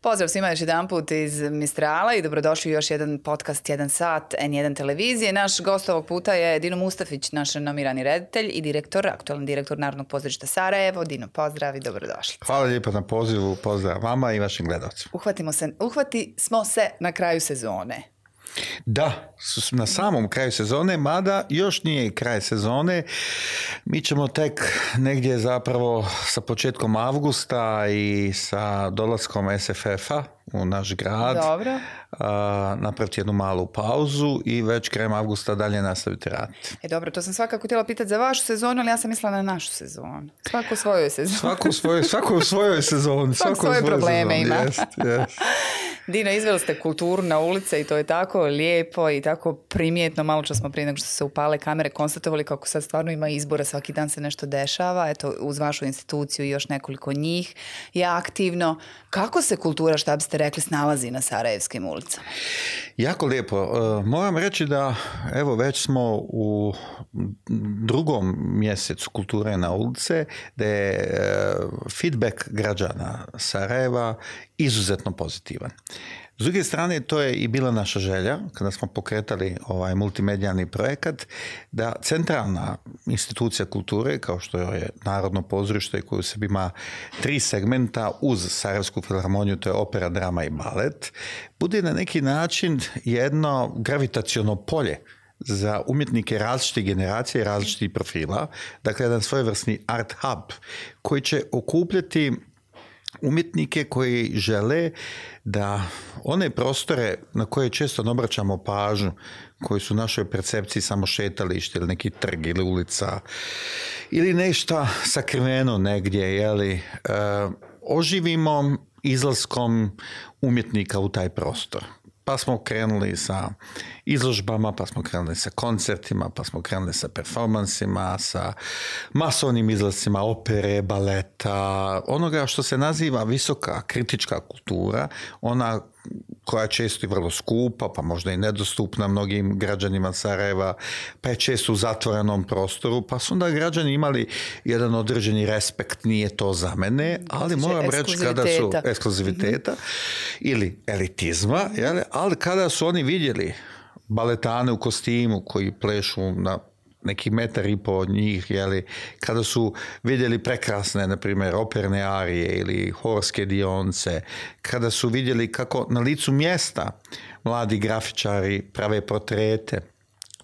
Pozdrav svima još jedan put iz Mistrala i dobrodošli u još jedan podcast 1 sat N1 televizije. Naš gost ovog puta je Dino Mustafić, naš renomirani reditelj i aktualni direktor Narodnog pozorišta Sarajevo. Dino, pozdrav i dobrodošli. Hvala lijepo na pozivu, pozdrav vama i vašim gledalcima. Uhvati smo se na kraju sezone. Da, na samom kraju sezone, mada još nije kraj sezone. Mi ćemo tek negdje zapravo sa početkom avgusta i sa dolaskom SFF-a u naš grad napraviti jednu malu pauzu i već krajem avgusta dalje nastaviti raditi. Dobro, to sam svakako htjela pitati za vašu sezonu, ali ja sam mislila na našu sezonu. Svako u svojoj sezoni. Svako u svojoj sezoni. Svako svoje probleme sezoni. ima. Yes. Dino, izveli ste kulturu na ulice i to je tako lijepo i tako primjetno. Malo čas smo prije nego što se upale kamere konstatovali kako sad stvarno ima izbora, svaki dan se nešto dešava. Eto, uz vašu instituciju i još nekoliko njih je aktivno. Kako se kultura, šta biste rekli, snalazi na sarajevskim ulicama? Jako lijepo. Moram reći da evo već smo u drugom mjesecu kulture na ulice, da je feedback građana Sarajeva izuzetno pozitivan. S druge strane, to je i bila naša želja, kada smo pokretali ovaj multimedijalni projekat, da centralna institucija kulture, kao što je Narodno pozorište koje u sebi ima 3 segmenta uz Sarajevsku filharmoniju, to je opera, drama i balet, bude na neki način jedno gravitaciono polje za umjetnike različitih generacija i različitih profila, dakle jedan svojevrsni art hub koji će okupljati umjetnike koji žele da one prostore na koje često ne obraćamo pažnju, koji su u našoj percepciji samo šetalište ili neki trg ili ulica ili nešto sakriveno negdje, oživimo izlaskom umjetnika u taj prostor. Pa smo krenuli sa izložbama, pa smo krenuli sa koncertima, pa smo krenuli sa performansima, sa masovnim izlascima opere, baleta, onoga što se naziva visoka kritička kultura, ona koja je često i vrlo skupa, pa možda i nedostupna mnogim građanima Sarajeva, pa je često u zatvorenom prostoru, pa su onda građani imali jedan određeni respekt, nije to za mene, ali moram reći kada su ekskluziviteta ili elitizma, ali kada su oni vidjeli baletane u kostimu koji plešu na neki 1,5 metar od njih, kada su vidjeli prekrasne, na primjer, operne arije ili horske dionce, kada su vidjeli kako na licu mjesta mladi grafičari prave portrete,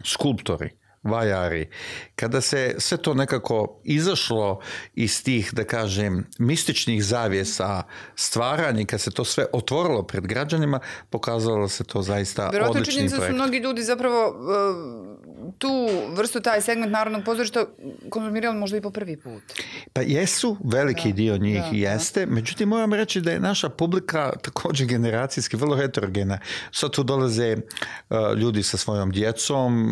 skulptori, vajari, kada se sve to nekako izašlo iz tih, da kažem, mističnih zavjesa stvaranja, kad se to sve otvorilo pred građanima, pokazalo se to zaista odlični projekt. Vjerojatno su mnogi ljudi zapravo tu vrstu, taj segment Narodnog pozorišta konzumirali možda i po prvi put. Pa jesu, veliki dio njih jeste, međutim moram reći da je naša publika također generacijski vrlo heterogena. Sad tu dolaze ljudi sa svojom djecom,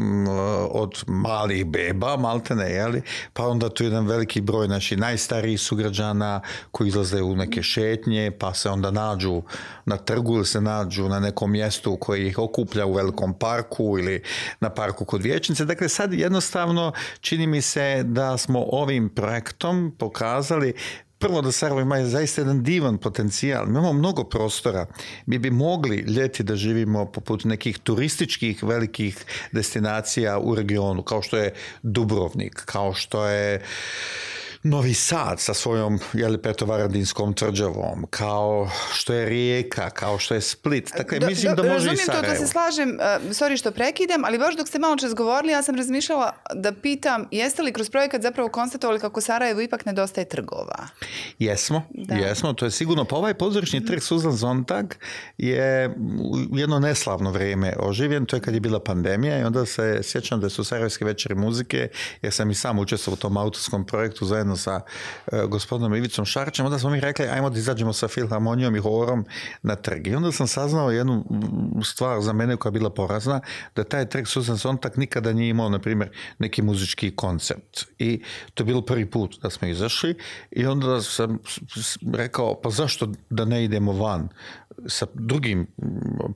od malih beba, maltene, pa onda tu jedan veliki broj naših najstarijih sugrađana koji izlaze u neke šetnje, pa se onda nađu na trgu ili se nađu na nekom mjestu koji ih okuplja u velikom parku ili na parku kod vijećnice. Dakle, sad jednostavno čini mi se da smo ovim projektom pokazali prvo da Sarajevo ima zaista jedan divan potencijal. Mi imamo mnogo prostora. Mi bi mogli ljeti da živimo poput nekih turističkih velikih destinacija u regionu, kao što je Dubrovnik, kao što je Novi Sad sa svojom Petrovaradinskom tvrđavom, kao što je Rijeka, kao što je Split. Dakle, mislim da može i Sarajevo. Razumijem to, da se slažem, sorry što prekidam, ali baš dok ste malo čas govorili, ja sam razmišljala da pitam, jeste li kroz projekat zapravo konstatovali kako Sarajevo ipak nedostaje trgova? Jesmo, to je sigurno. Pa ovaj pozorišni trg Suzan Zontag je u jedno neslavno vrijeme oživljen, to je kad je bila pandemija i onda se sjećam da su Sarajevske večeri muzike, jer sam i sam učestvovao u tom autorskom projektu zajedno sa gospodinom Ivicom Šarčem, onda smo mi rekli ajmo da izađemo sa filharmonijom i horom na trg. I onda sam saznao jednu stvar za mene koja je bila porazna, da taj trg Suzan Zontag nikada nije imao, na primjer, neki muzički koncept. I to je bilo prvi put da smo izašli i onda sam rekao, pa zašto da ne idemo van sa drugim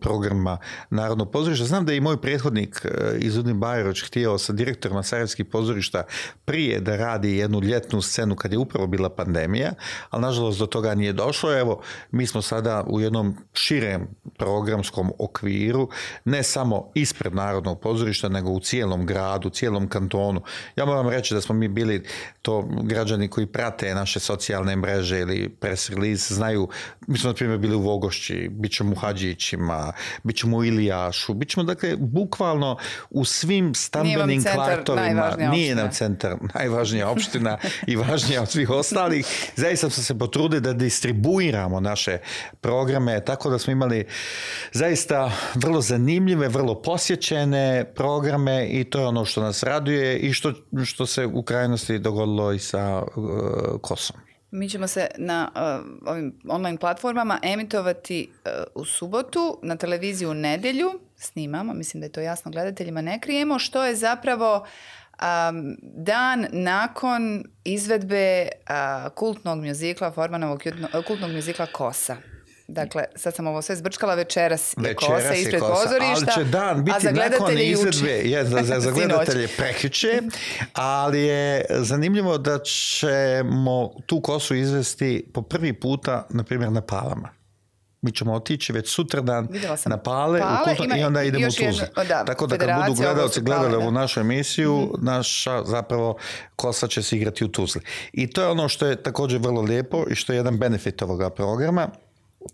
programima Narodnog pozorišta. Znam da je i moj prethodnik Izudin Bajroć htio sa direktorima sarajevskih pozorišta prije da radi jednu ljetnu scenu kad je upravo bila pandemija, ali nažalost do toga nije došlo. Evo, mi smo sada u jednom širem programskom okviru, ne samo ispred Narodnog pozorišta, nego u cijelom gradu, cijelom kantonu. Ja moram reći da smo mi bili, to građani koji prate naše socijalne mreže ili press release znaju, mi smo na primjer bili u Vogošći, bit ćemo u Hadžićima, bit ćemo u Ilijašu, bit ćemo dakle bukvalno u svim stambenim kvartovima. Nije nam centar najvažnija opština i važnija od svih ostalih. Zaista smo se potrudili da distribuiramo naše programe, tako da smo imali zaista vrlo zanimljive, vrlo posjećene programe i to je ono što nas raduje i što se u krajnosti dogodilo i sa Kosom. Mi ćemo se na ovim online platformama emitovati u subotu, na televiziju u nedjelju, snimamo, mislim da je to jasno gledateljima, ne krijemo, što je zapravo dan nakon izvedbe kultnog mjuzikla, Formanovog kultnog mjuzikla Kosa. Dakle, sad sam ovo sve zbrčkala, večeras je Kosa ispred pozorišta. Ali će dan biti nakon izvedbe, za gledatelje prekjuče, ali je zanimljivo da ćemo tu Kosu izvesti po prvi puta, na primjer, na Palama. Mi ćemo otići već sutradan na Pale i onda idemo u Tuzlu. Tako da kad budu gledalci gledali ovu našu emisiju, naša zapravo Kosa će se igrati u Tuzli. I to je ono što je također vrlo lijepo i što je jedan benefit ovoga programa,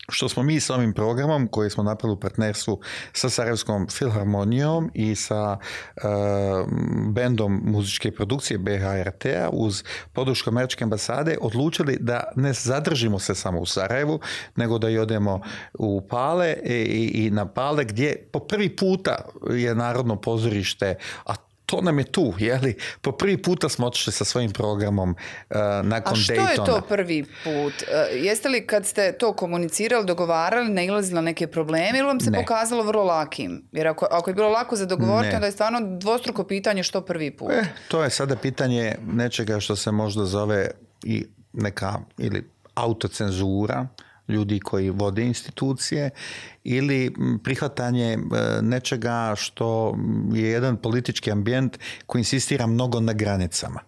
što smo mi s ovim programom koji smo napravili u partnerstvu sa Sarajevskom filharmonijom i sa bendom muzičke produkcije BHRT-a uz podršku Američke ambasade odlučili da ne zadržimo se samo u Sarajevu, nego da i odemo u Pale i na Pale gdje po prvi puta je Narodno pozorište, a to nam je tu, jeli? Po prvi puta smo otišli sa svojim programom nakon Daytona. A što je to prvi put? Jeste li kad ste to komunicirali, dogovarali, nailazili na neke probleme ili vam se pokazalo vrlo lakim? Jer ako je bilo lako za dogovoriti, onda je stvarno dvostruko pitanje što prvi put. To je sada pitanje nečega što se možda zove i neka ili autocenzura, ljudi koji vode institucije ili prihvatanje nečega što je jedan politički ambijent koji insistira mnogo na granicama.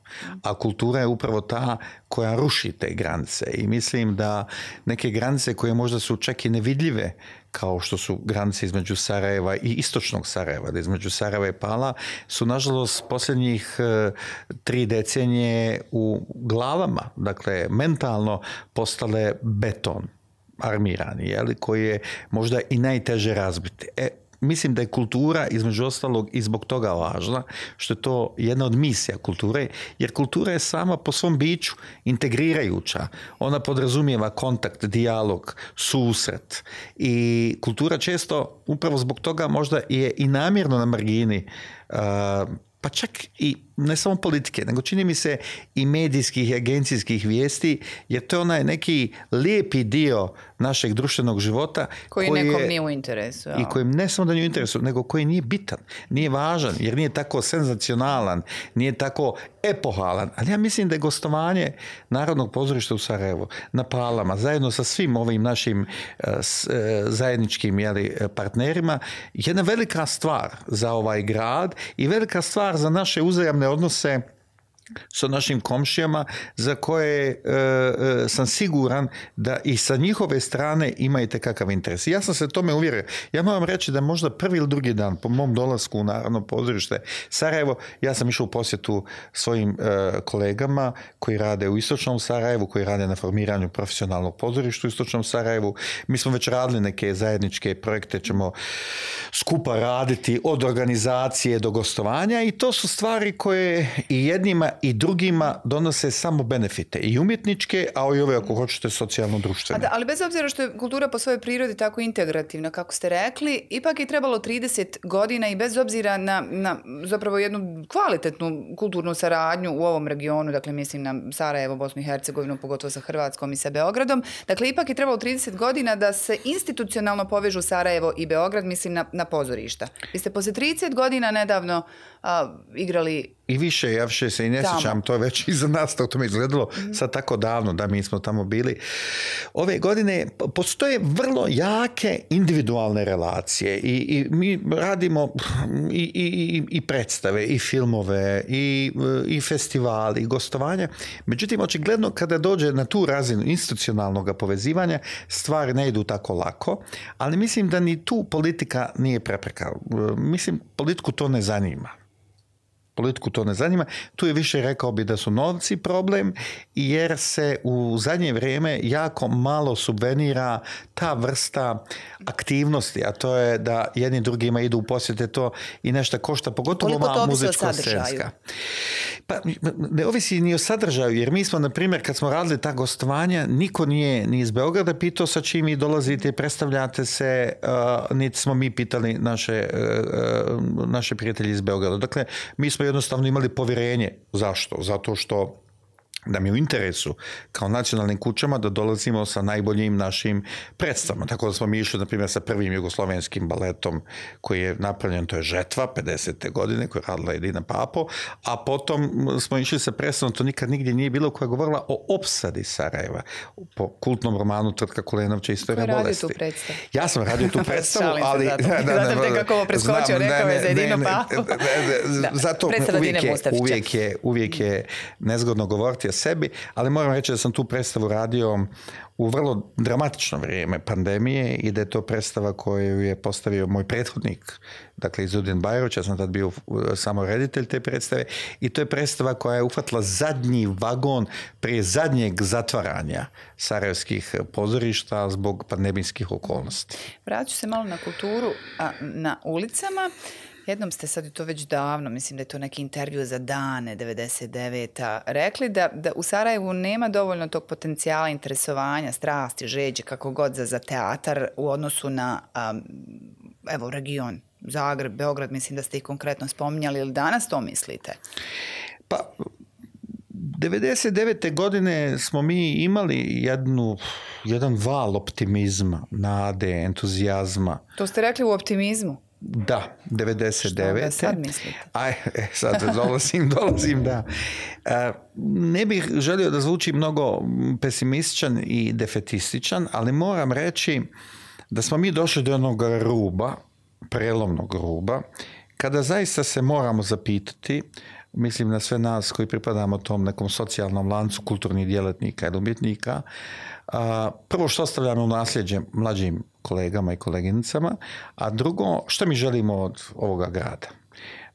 A kultura je upravo ta koja ruši te granice i mislim da neke granice koje možda su čak i nevidljive kao što su granice između Sarajeva i istočnog Sarajeva, da između Sarajeva i Pala, su nažalost posljednjih 3 decenije u glavama, dakle mentalno postale beton armirani, jeli, koji je možda i najteže razbiti. Mislim da je kultura između ostalog i zbog toga važna, što je to jedna od misija kulture, jer kultura je sama po svom biću integrirajuća. Ona podrazumijeva kontakt, dijalog, susret i kultura često upravo zbog toga možda je i namjerno na margini pa čak i ne samo politike, nego čini mi se i medijskih i agencijskih vijesti, jer to je onaj neki lijepi dio našeg društvenog života koji nekom nije u interesu. I koji ne samo da nije u interesu, nego koji nije bitan, nije važan, jer nije tako senzacionalan, nije tako epohalan. Ali ja mislim da je gostovanje Narodnog pozorišta u Sarajevu na Palama, zajedno sa svim ovim našim zajedničkim partnerima, jedna velika stvar za ovaj grad i velika stvar za naše uzajamne odnose sa našim komšijama za koje sam siguran da i sa njihove strane imate kakav interes. Ja sam se tome uvjerio. Ja moram reći da možda prvi ili drugi dan po mom dolasku u Narodno pozorište Sarajevo, ja sam išao u posjetu svojim kolegama koji rade u istočnom Sarajevu, koji rade na formiranju profesionalnog pozorišta u istočnom Sarajevu. Mi smo već radili neke zajedničke projekte, ćemo skupa raditi od organizacije do gostovanja i to su stvari koje i jednima i drugima donose samo benefite, i umjetničke, a i ove, ako hoćete, socijalno-društvene. Ali bez obzira što je kultura po svojoj prirodi tako integrativna, kako ste rekli, ipak je trebalo 30 godina i bez obzira na zapravo jednu kvalitetnu kulturnu saradnju u ovom regionu, dakle mislim na Sarajevo, Bosnu i Hercegovinu, pogotovo sa Hrvatskom i sa Beogradom, dakle ipak je trebalo 30 godina da se institucionalno povežu Sarajevo i Beograd, mislim na pozorišta. Vi ste poslije 30 godina nedavno igrali... I više, ja više se i ne sjećam, to je već iza nas, to mi izgledalo sad tako davno da mi smo tamo bili. Ove godine postoje vrlo jake individualne relacije i mi radimo i predstave, i filmove, i festivali, i gostovanja. Međutim, očigledno kada dođe na tu razinu institucionalnog povezivanja, stvari ne idu tako lako, ali mislim da ni tu politika nije prepreka. Mislim, politiku to ne zanima. Tu je više, rekao bi, da su novci problem, jer se u zadnje vrijeme jako malo subvenira ta vrsta aktivnosti, a to je da jedni drugima idu u posjete, to i nešto košta, pogotovo ova muzičko-scenska. Pa ne ovisi ni o sadržaju, jer mi smo, na primjer, kad smo radili ta gostovanja, niko nije ni iz Beograda pitao sa čim vi dolazite i predstavljate se, niti smo mi pitali naše prijatelji iz Beograda. Dakle, mi smo jednostavno imali povjerenje. Zašto? Zato što nam je u interesu kao nacionalnim kućama da dolazimo sa najboljim našim predstavama. Tako da smo mi išli, na primjer, sa prvim jugoslovenskim baletom koji je napravljen, to je Žetva, 50. godine, koju je radila Edina Papo, a potom smo išli sa predstavom, to nikad nigdje nije bilo, koja je govorila o opsadi Sarajeva, po kultnom romanu Tvrtka Kulenovća Istorija bolesti. Ko je radio tu predstavu? Ja sam radio tu predstavu, ali... Zato te kako ovo preskočio, rekao je za Edinu Papo. Zato uvijek je nezgodno govoriti o sebi, ali moram reći da sam tu predstavu radio u vrlo dramatično vrijeme pandemije i da je to predstava koju je postavio moj prethodnik, dakle Izudin Bajrović, ja sam tad bio samo reditelj te predstave, i to je predstava koja je uhvatila zadnji vagon prije zadnjeg zatvaranja sarajevskih pozorišta zbog pandemijskih okolnosti. Vratit ću se malo na kulturu, na ulicama. Jednom ste sad, i to već davno, mislim da je to neki intervju za Dane 99. rekli da u Sarajevu nema dovoljno tog potencijala interesovanja, strasti, žeđe, kako god za teatar u odnosu na region, Zagreb, Beograd, mislim da ste ih konkretno spominjali, ili danas to mislite? Pa, 99. godine smo mi imali jedan val optimizma, nade, entuzijazma. To ste rekli u optimizmu? Da, 99. Što sad mislite? Sad dolazim, da. Ne bih želio da zvuči mnogo pesimističan i defetističan, ali moram reći da smo mi došli do jednog ruba, prelomnog ruba, kada zaista se moramo zapitati, mislim na sve nas koji pripadamo tom nekom socijalnom lancu kulturnih djelatnika ili umjetnika, prvo što ostavljamo u nasljeđe mlađim kolegama i koleginicama, a drugo, što mi želimo od ovoga grada?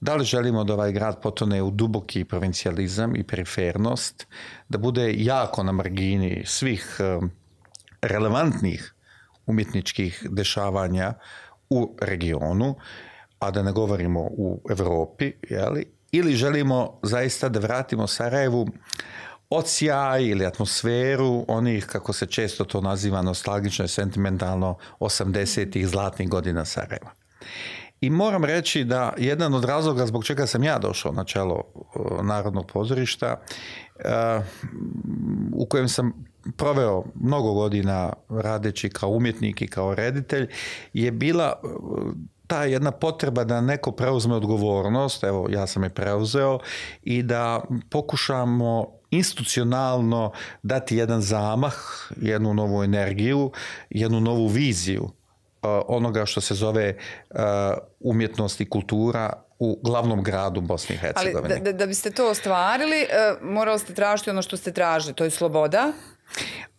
Da li želimo da ovaj grad potone u duboki provincijalizam i perifernost, da bude jako na margini svih relevantnih umjetničkih dešavanja u regionu, a da ne govorimo u Europi, ili želimo zaista da vratimo Sarajevu odsjaj ili atmosferu onih, kako se često to naziva, nostalgično i sentimentalno 80-ih zlatnih godina Sarajeva. I moram reći da jedan od razloga zbog čega sam ja došao na čelo Narodnog pozorišta, u kojem sam proveo mnogo godina radeći kao umjetnik i kao reditelj, je bila ta jedna potreba da neko preuzme odgovornost, evo ja sam je preuzeo, i da pokušamo institucionalno dati jedan zamah, jednu novu energiju, jednu novu viziju onoga što se zove umjetnost i kultura u glavnom gradu Bosne i Hercegovine. Ali da biste to ostvarili, morali ste tražiti ono što ste tražili, to je sloboda.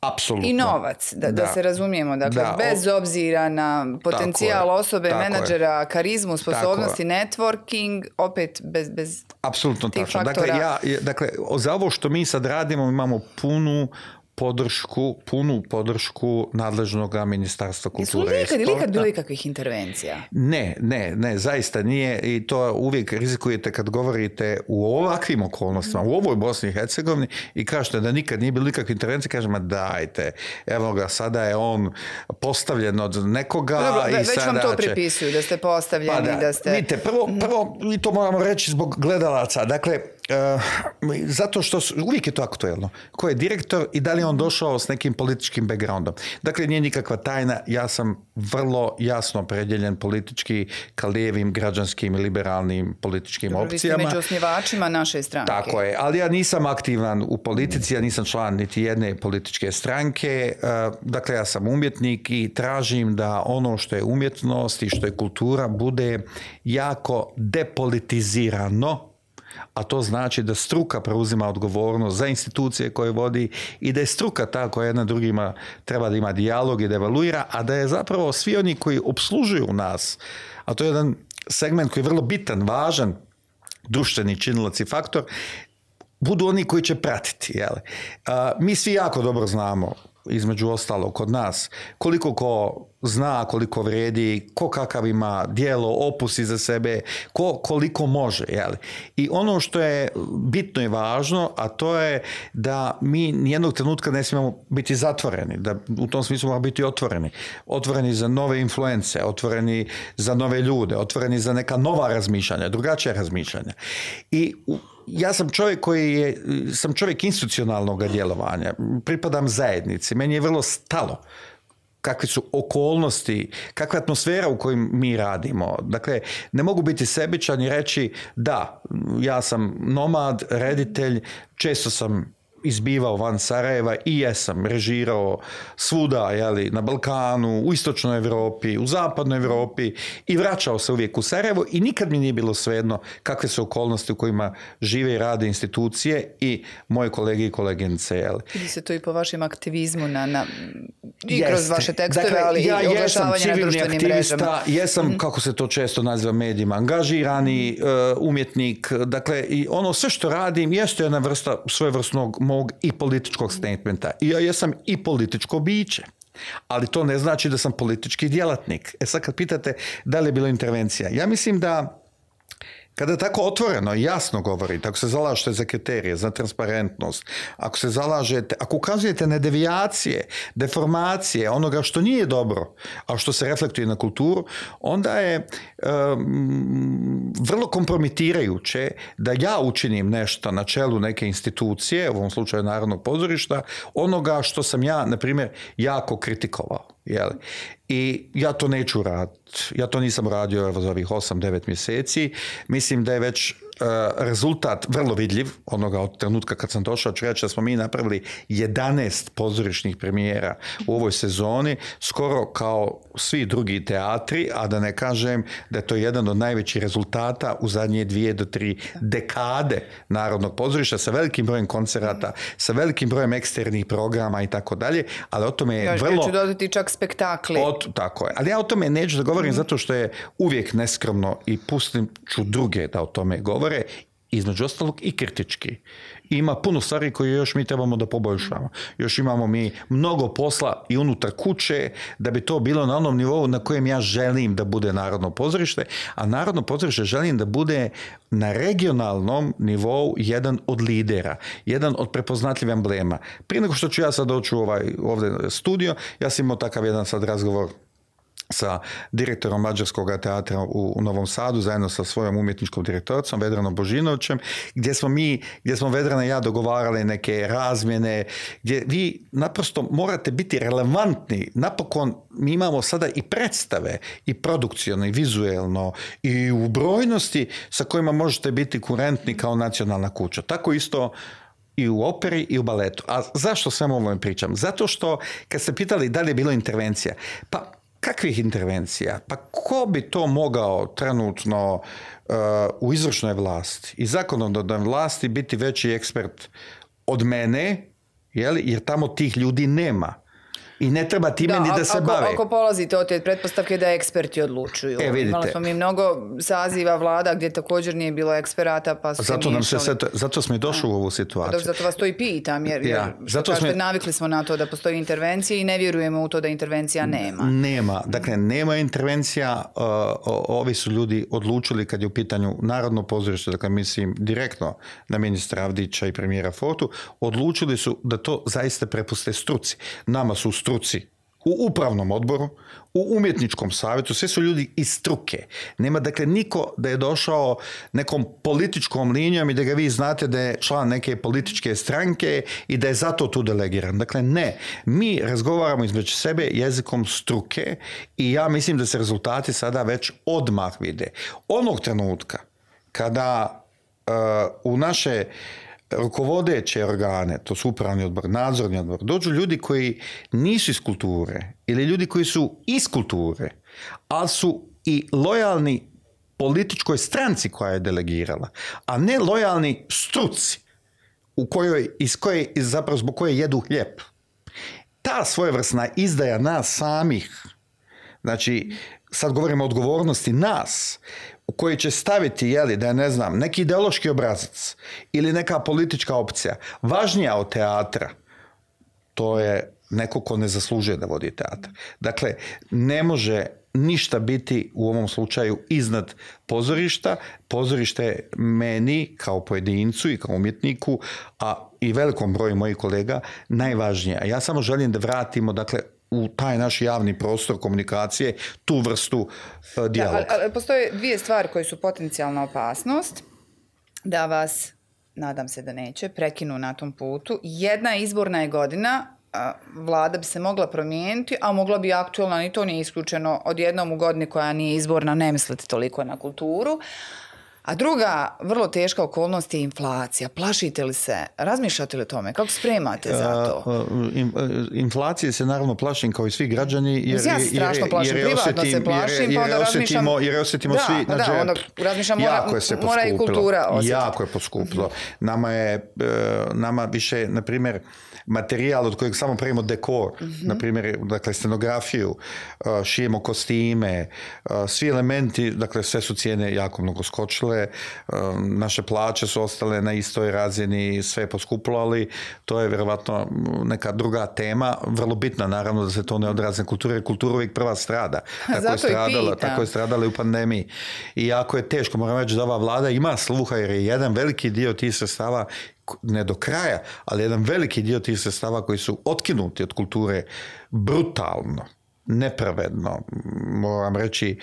Apsolutno. I novac, da se razumijemo. Dakle, bez obzira na potencijal osobe, menadžera, karizmu, sposobnosti, networking, opet bez apsolutno tih tačno. faktora. Dakle, za ovo što mi sad radimo imamo punu podršku nadležnog ministarstva kulture i sporta. Ili ikad bilo ikakvih intervencija? Ne, zaista nije, i to uvijek rizikujete kad govorite u ovakvim okolnostima, u ovoj Bosni i Hercegovini, i kažete da nikad nije bilo ikakve intervencije, kažemo dajte, evo ga, sada je on postavljen od nekoga. Dobro, već vam to pripisuju, da ste postavljeni, da ste... Vidite, prvo, i to moramo reći zbog gledalaca, dakle, Zato što uvijek je to aktuelno. Ko je direktor i da li je on došao s nekim političkim backgroundom. Dakle, nije nikakva tajna. Ja sam vrlo jasno opredjeljen politički ka lijevim, građanskim i liberalnim političkim opcijama. Vi ste među osnivačima naše stranke. Tako je, ali ja nisam aktivan u politici, ja nisam član niti jedne političke stranke. Dakle, ja sam umjetnik i tražim da ono što je umjetnost i što je kultura bude jako depolitizirano, a to znači da struka preuzima odgovornost za institucije koje vodi i da je struka ta koja jedna drugima treba da ima dijalog i da evaluira, a da je zapravo svi oni koji obslužuju nas, a to je jedan segment koji je vrlo bitan, važan, društveni činilac i faktor, budu oni koji će pratiti. Jel? Mi svi jako dobro znamo, između ostalog kod nas, koliko ko zna, koliko vredi, ko kakav ima djelo, opus iza sebe, ko koliko može. Jel? I ono što je bitno i važno, a to je da mi nijednog trenutka ne smijemo biti zatvoreni, da u tom smislu moramo biti otvoreni. Otvoreni za nove influence, otvoreni za nove ljude, otvoreni za neka nova razmišljanja, drugačija razmišljanja. I ja sam čovjek institucionalnog djelovanja, pripadam zajednici, meni je vrlo stalo kakve su okolnosti, kakva je atmosfera u kojoj mi radimo. Dakle, ne mogu biti sebičan i reći da, ja sam nomad, reditelj, često sam izbivao van Sarajeva i jesam režirao svuda, jeli, na Balkanu, u istočnoj Europi, u zapadnoj Europi i vraćao se uvijek u Sarajevo i nikad mi nije bilo svejedno kakve su okolnosti u kojima žive i rade institucije i moje kolege i koleginice. Jeli. Vidi se to i po vašem aktivizmu i kroz vaše tekstove, dakle, ali i oglašavanje na društvenim mrežama. Jesam, kako se to često naziva medijima, angažirani umjetnik. Dakle, i ono sve što radim jeste jedna vrsta svojevrsnog mog i političkog statementa. I ja jesam i političko biće. Ali to ne znači da sam politički djelatnik. Sad kad pitate da li je bilo intervencija, ja mislim da kada tako otvoreno i jasno govorite, ako se zalažete za kriterije, za transparentnost, ako se zalažete, ako ukazujete na devijacije, deformacije, onoga što nije dobro, a što se reflektuje na kulturu, onda je vrlo kompromitirajuće da ja učinim nešto na čelu neke institucije, u ovom slučaju Narodnog pozorišta, onoga što sam ja, na primjer, jako kritikovao. Jeli? I ja to neću raditi. Ja to nisam radio za ovih 8-9 mjeseci. Mislim da je već rezultat vrlo vidljiv onoga od trenutka kad sam došao. Ću reći da smo mi napravili 11 pozorišnih premijera u ovoj sezoni, skoro kao svi drugi teatri, a da ne kažem da je to jedan od najvećih rezultata u zadnje 2 do 3 dekade Narodnog pozorišta sa velikim brojem koncerata, sa velikim brojem eksternih programa i tako dalje, ali o tome je vrlo... Ja ću dodati čak spektakli. Tako je. Ali ja o tome neću da govorim zato što je uvijek neskromno i pustim ću druge da o tome govore, između ostalog i kritički. Ima puno stvari koje još mi trebamo da poboljšamo. Još imamo mi mnogo posla i unutar kuće da bi to bilo na onom nivou na kojem ja želim da bude Narodno pozorište, a Narodno pozorište želim da bude na regionalnom nivou jedan od lidera, jedan od prepoznatljivih emblema. Prije nego što ću ja sad doći u ovdje studio, ja sam imao takav jedan sad razgovor sa direktorom Mađarskog teatra u Novom Sadu, zajedno sa svojom umjetničkom direktoricom Vedranom Božinovićem, gdje smo Vedrana i ja dogovarali neke razmjene, gdje vi naprosto morate biti relevantni. Napokon mi imamo sada i predstave, i produkciono, i vizuelno, i u brojnosti sa kojima možete biti kurentni kao nacionalna kuća. Tako isto i u operi i u baletu. A zašto svemu ovome pričam? Zato što, kad ste pitali da li je bilo intervencija, pa kakvih intervencija? Pa ko bi to mogao trenutno u izvršnoj vlasti i zakonodavnoj vlasti biti veći ekspert od mene, jer tamo tih ljudi nema. I ne treba time ni da se bave. Ako polazite od te pretpostavke da eksperti odlučuju. Imali smo mi mnogo saziva vlada gdje također nije bilo eksperata, pa su zato smo i došli u ovu situaciju. Zato vas to i pitam, jer navikli smo na to da postoji intervencija i ne vjerujemo u to da intervencija nema. Dakle, nema intervencija. Ovi su ljudi odlučili kad je u pitanju Narodno pozorište, dakle mislim direktno na ministra Avdića i premijera Fortu, odlučili su da to zaista prepuste struci. Nama su struci u upravnom odboru, u umjetničkom savjetu, sve su ljudi iz struke. Nema dakle niko da je došao nekom političkom linijom i da ga vi znate da je član neke političke stranke i da je zato tu delegiran. Dakle ne, mi razgovaramo između sebe jezikom struke i ja mislim da se rezultati sada već odmah vide. Onog trenutka kada u naše rukovodeće organe, to su upravni odbor, nadzorni odbor, dođu ljudi koji nisu iz kulture ili ljudi koji su iz kulture, ali su i lojalni političkoj stranci koja je delegirala, a ne lojalni struci zapravo zbog koje jedu hljeb. Ta svojevrsna izdaja nas samih, znači sad govorimo o odgovornosti nas, u koji će staviti, da je, ne znam, neki ideološki obrazac ili neka politička opcija važnija od teatra, to je neko ko ne zaslužuje da vodi teatr. Dakle, ne može ništa biti u ovom slučaju iznad pozorišta. Pozorište je meni kao pojedincu i kao umjetniku, a i velikom broju mojih kolega najvažnije. A ja samo želim da vratimo, dakle, u taj naš javni prostor komunikacije tu vrstu dijaloga. Ali postoje dvije stvari koje su potencijalna opasnost da vas, nadam se da neće, prekinu na tom putu. Jedna izborna je godina, vlada bi se mogla promijeniti, a mogla bi aktualna, i to nije isključeno, odjednom u godini koja nije izborna ne misliti toliko na kulturu. A druga vrlo teška okolnost je inflacija. Plašite li se? Razmišljate li o tome? Kako spremate za to? Inflacije se naravno plašim kao i svi građani. Ja se strašno plašim. Privatno se plašim, pa onda razmišljam... Jer osjetimo svi na džep. Onda razmišljam, mora i kultura osjetiti. Jako je poskupilo. Nama više, na primjer, materijal od kojeg samo pravimo dekor, na primjer, dakle, scenografiju, šijemo kostime, svi elementi, dakle, sve su cijene jako mnogo skočile. Naše plaće su ostale na istoj razini, sve je poskupilo, ali to je vjerovatno neka druga tema, vrlo bitna naravno da se to ne odrazi na kulturu, jer kultura uvijek prva strada. Tako je stradala i u pandemiji. I jako je teško, moram reći da ova vlada ima sluha, jer je jedan veliki dio tih sredstava, ne do kraja, ali jedan veliki dio tih sredstava koji su otkinuti od kulture brutalno, nepravedno, moram reći,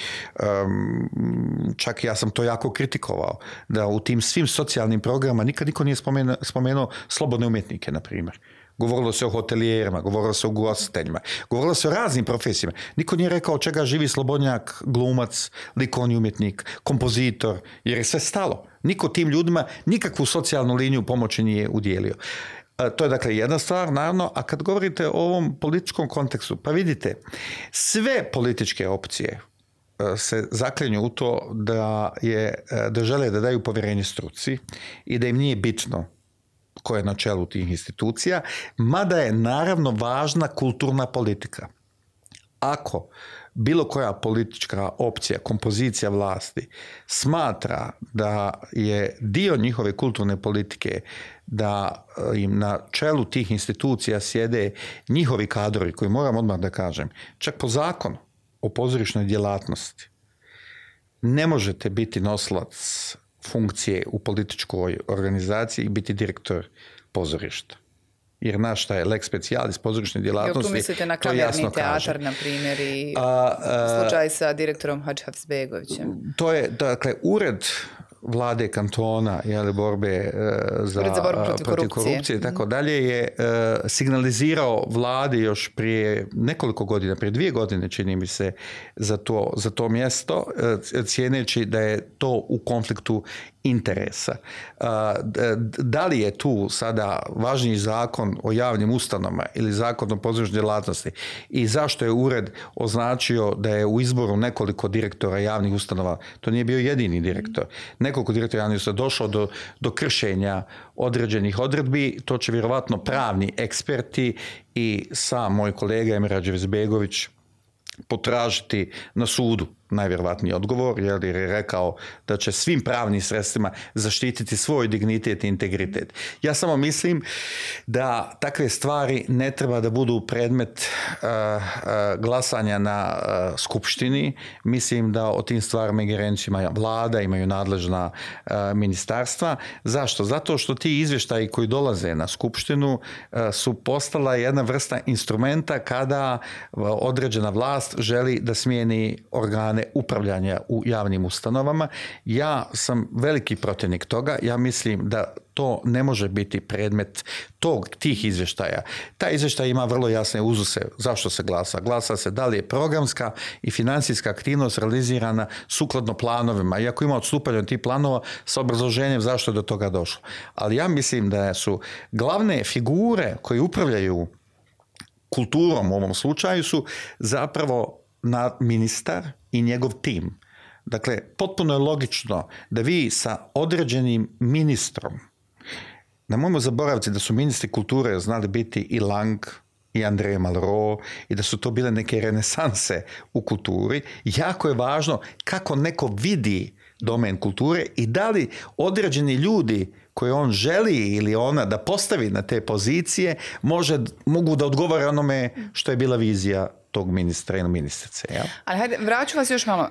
čak ja sam to jako kritikovao, da u tim svim socijalnim programama nikad niko nije spomenuo slobodne umjetnike, na primjer. Govorilo se o hotelijerima, govorilo se o ugostiteljima, govorilo se o raznim profesijama. Niko nije rekao od čega živi slobodnjak, glumac, likovni umjetnik, kompozitor, jer je sve stalo. Niko tim ljudima nikakvu socijalnu liniju pomoći nije udjelio. To je dakle jedna stvar, naravno, a kad govorite o ovom političkom kontekstu, pa vidite, sve političke opcije se zaklinju u to da žele da daju povjerenje struci i da im nije bitno ko je na čelu tih institucija, mada je naravno važna kulturna politika. Ako bilo koja politička opcija, kompozicija vlasti smatra da je dio njihove kulturne politike da im na čelu tih institucija sjede njihovi kadrovi, koji moram odmah da kažem, čak po zakonu o pozorišnoj djelatnosti, ne možete biti nosilac funkcije u političkoj organizaciji i biti direktor pozorišta. Jer naš šta je lex specialis pozorišne djelatnosti, tu mislite na kamerni teatar, na primjer, i slučaj sa direktorom Hadžihafizbegovićem? To je, dakle, ured vlade kantona, borbe protiv korupcije i tako dalje, je signalizirao vladi još prije nekoliko godina, prije 2 godine, čini mi se, za to mjesto, cijeneći da je to u konfliktu interesa. Da li je tu sada važniji zakon o javnim ustanovama ili zakon o pozorišnoj djelatnosti i zašto je ured označio da je u izboru nekoliko direktora javnih ustanova, to nije bio jedini direktor, nekoliko direktora javnih ustanova došlo do kršenja određenih odredbi, to će vjerovatno pravni eksperti i sam moj kolega Emir Hadžihafizbegović potražiti na sudu. najvjerovatniji odgovor, jer je rekao da će svim pravnim sredstvima zaštititi svoj dignitet i integritet. Ja samo mislim da takve stvari ne treba da budu predmet glasanja na skupštini. Mislim da o tim stvarima ingerenciju ima vlada, imaju nadležna ministarstva. Zašto? Zato što ti izvještaji koji dolaze na skupštinu su postala jedna vrsta instrumenta kada određena vlast želi da smijeni organe upravljanja u javnim ustanovama. Ja sam veliki protivnik toga. Ja mislim da to ne može biti predmet tih izvještaja. Taj izvještaj ima vrlo jasne uzuse zašto se glasa. Glasa se da li je programska i financijska aktivnost realizirana sukladno planovima. Iako ima odstupanje od tih planova sa obrazloženjem zašto je do toga došlo. Ali ja mislim da su glavne figure koje upravljaju kulturom u ovom slučaju su zapravo ministar i njegov tim. Dakle, potpuno je logično da vi sa određenim ministrom, nemojmo zaboraviti da su ministri kulture znali biti i Lang, i André Malraux, i da su to bile neke renesanse u kulturi. Jako je važno kako neko vidi domen kulture i da li određeni ljudi koje on želi ili ona da postavi na te pozicije mogu da odgovore onome što je bila vizija tog ministra ili ministrice. Ja? Ali hajde, vraću vas još malo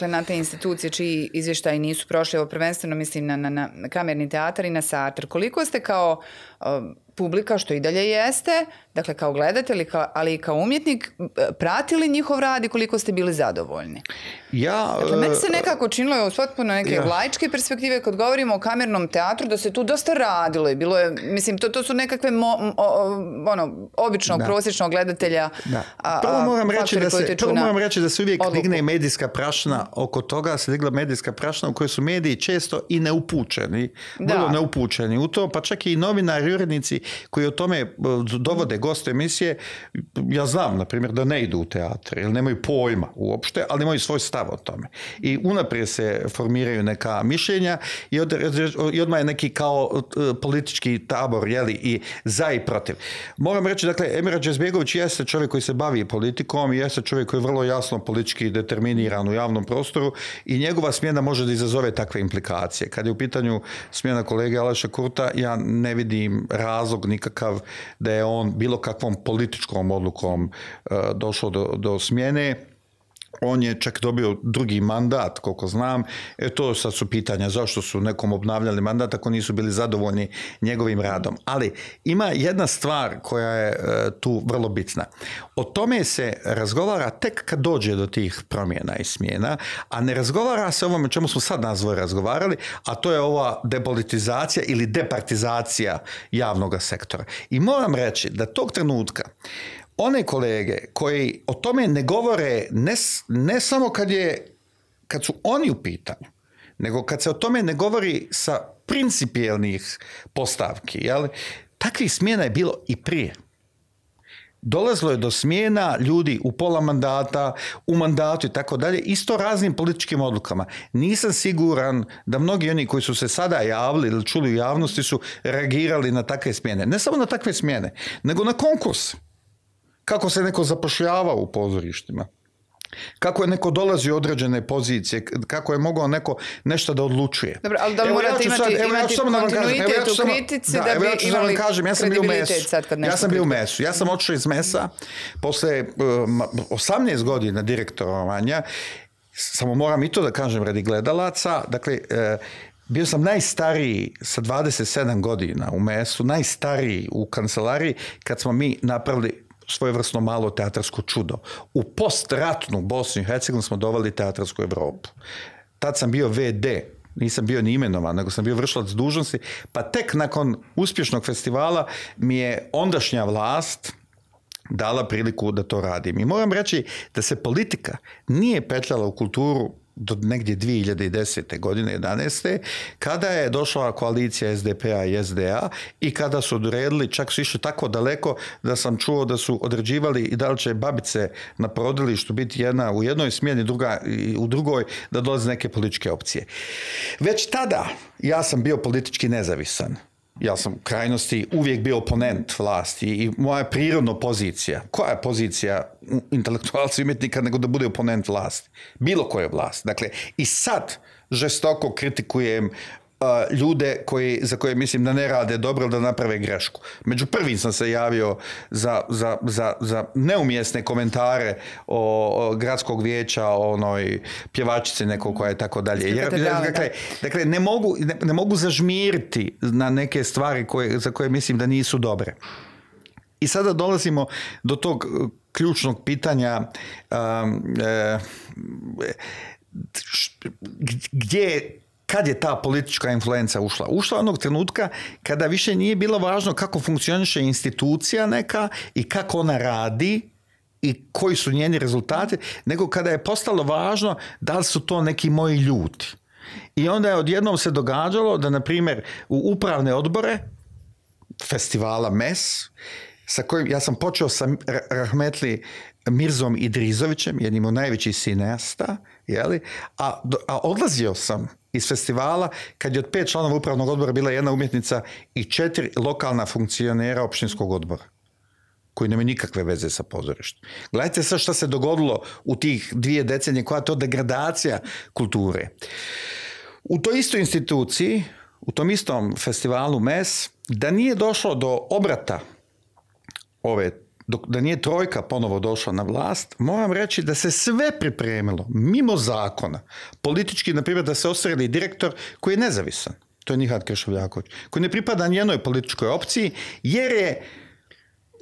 na te institucije čiji izvještaji nisu prošli, ovo prvenstveno mislim na Kamerni teatar i na Sartre. Koliko ste kao publika, što i dalje jeste, dakle kao gledatelj, ali i kao umjetnik, pratili njihov rad i koliko ste bili zadovoljni? Dakle, meni se nekako činilo iz potpuno neke laičke perspektive kad govorimo o Kamernom teatru da se tu dosta radilo i bilo je, mislim, to su nekakve običnog, prosječnog gledatelja. Prvo moram reći da se uvijek digne medijska prašina oko toga, se digla medijska prašina u kojoj su mediji često i neupućeni, vrlo neupućeni u to, pa čak i novinari, urednici koji o tome dovode goste emisije, ja znam, na primjer, da ne idu u teatr, ili nemaju pojma uopšte, ali imaju svoj stav o tome. I unaprijed se formiraju neka mišljenja i odmah je neki kao politički tabor, i za i protiv. Moram reći, dakle, Emir Hadžibegović jeste čovjek koji se bavi politikom i jeste čovjek koji je vrlo jasno politički determiniran u javnom prostoru i njegova smjena može da izazove takve implikacije. Kad je u pitanju smjena kolege Aleša Kurta, ja ne vidim razlog nikakav da je on bilo kakvom političkom odlukom došao do smjene. On je čak dobio drugi mandat, koliko znam. To sad su pitanja zašto su nekom obnavljali mandat ako nisu bili zadovoljni njegovim radom. Ali ima jedna stvar koja je tu vrlo bitna. O tome se razgovara tek kad dođe do tih promjena i smjena, a ne razgovara se o ovome čemu smo sad razgovarali, a to je ova depolitizacija ili departizacija javnog sektora. I moram reći da tog trenutka one kolege koji o tome ne govore ne samo kad su oni u pitanju, nego kad se o tome ne govori sa principijelnih postavki, jel? Takvih smjena je bilo i prije. Dolazilo je do smjena ljudi u pola mandata, u mandatu i tako dalje, isto raznim političkim odlukama. Nisam siguran da mnogi oni koji su se sada javili ili čuli u javnosti su reagirali na takve smjene. Ne samo na takve smjene, nego na konkurs. Kako se neko zapošljava u pozorištima, kako je neko dolazio u određene pozicije, kako je mogao neko nešto da odlučuje. Dobro, ali da morate imati kontinuitet u kritici da bi imali kredibilitet sad kad nešto... Ja sam bio u MES-u. Ja sam otišao iz MES-a posle 18 godina direktorovanja. Samo moram i to da kažem radi gledalaca. Dakle, bio sam najstariji sa 27 godina u MES-u, najstariji u kancelariji kad smo mi napravili svojevrsno malo teatarsko čudo. U postratnu Bosnu i Hercegovinu smo doveli teatarsku Evropu. Tad sam bio VD, nisam bio ni imenovan, nego sam bio vršilac dužnosti, pa tek nakon uspješnog festivala mi je ondašnja vlast dala priliku da to radim. I moram reći da se politika nije petljala u kulturu do negdje 2010. godine, 11. kada je došla koalicija SDP-a i SDA i kada su odredili, čak su išli tako daleko da sam čuo da su određivali i da li će babice na porodilištu biti jedna u jednoj smjeni, druga u drugoj, da dolaze neke političke opcije. Već tada ja sam bio politički nezavisan. ja sam u krajnosti uvijek bio oponent vlasti i moja prirodna pozicija, koja je pozicija intelektualca i umjetnika nego da bude oponent vlasti? Bilo koje vlasti. Dakle, i sad žestoko kritikujem ljude za koje mislim da ne rade dobro ili da naprave grešku. Među prvim sam se javio za neumjesne komentare o gradskog vijeća, o onoj pjevačici nekog koja je tako dalje. Dakle, ne mogu zažmiriti na neke stvari za koje mislim da nisu dobre. I sada dolazimo do tog ključnog pitanja kad je ta politička influenca ušla? Ušla onog trenutka kada više nije bilo važno kako funkcioniše institucija neka i kako ona radi i koji su njeni rezultati, nego kada je postalo važno da li su to neki moji ljudi. I onda je odjednom se događalo da, na primjer, u upravne odbore festivala MES, sa kojim ja sam počeo sa rahmetli Mirzom Idrizovićem, jednim od najvećih cineasta, a odlazio sam iz festivala kad je od 5 članova upravnog odbora bila jedna umjetnica i 4 lokalna funkcionera općinskog odbora, koji nemaju nikakve veze sa pozorištem. Gledajte sad šta se dogodilo u tih 2 decenije, koja je to degradacija kulture. U toj istoj instituciji, u tom istom festivalu MES, da nije došlo do obrata da nije trojka ponovo došla na vlast, moram reći da se sve pripremilo mimo zakona. Politički, na primjer, da se ostvarili direktor koji je nezavisan. To je Nihad Kršovljaković, koji ne pripada nijednoj političkoj opciji, jer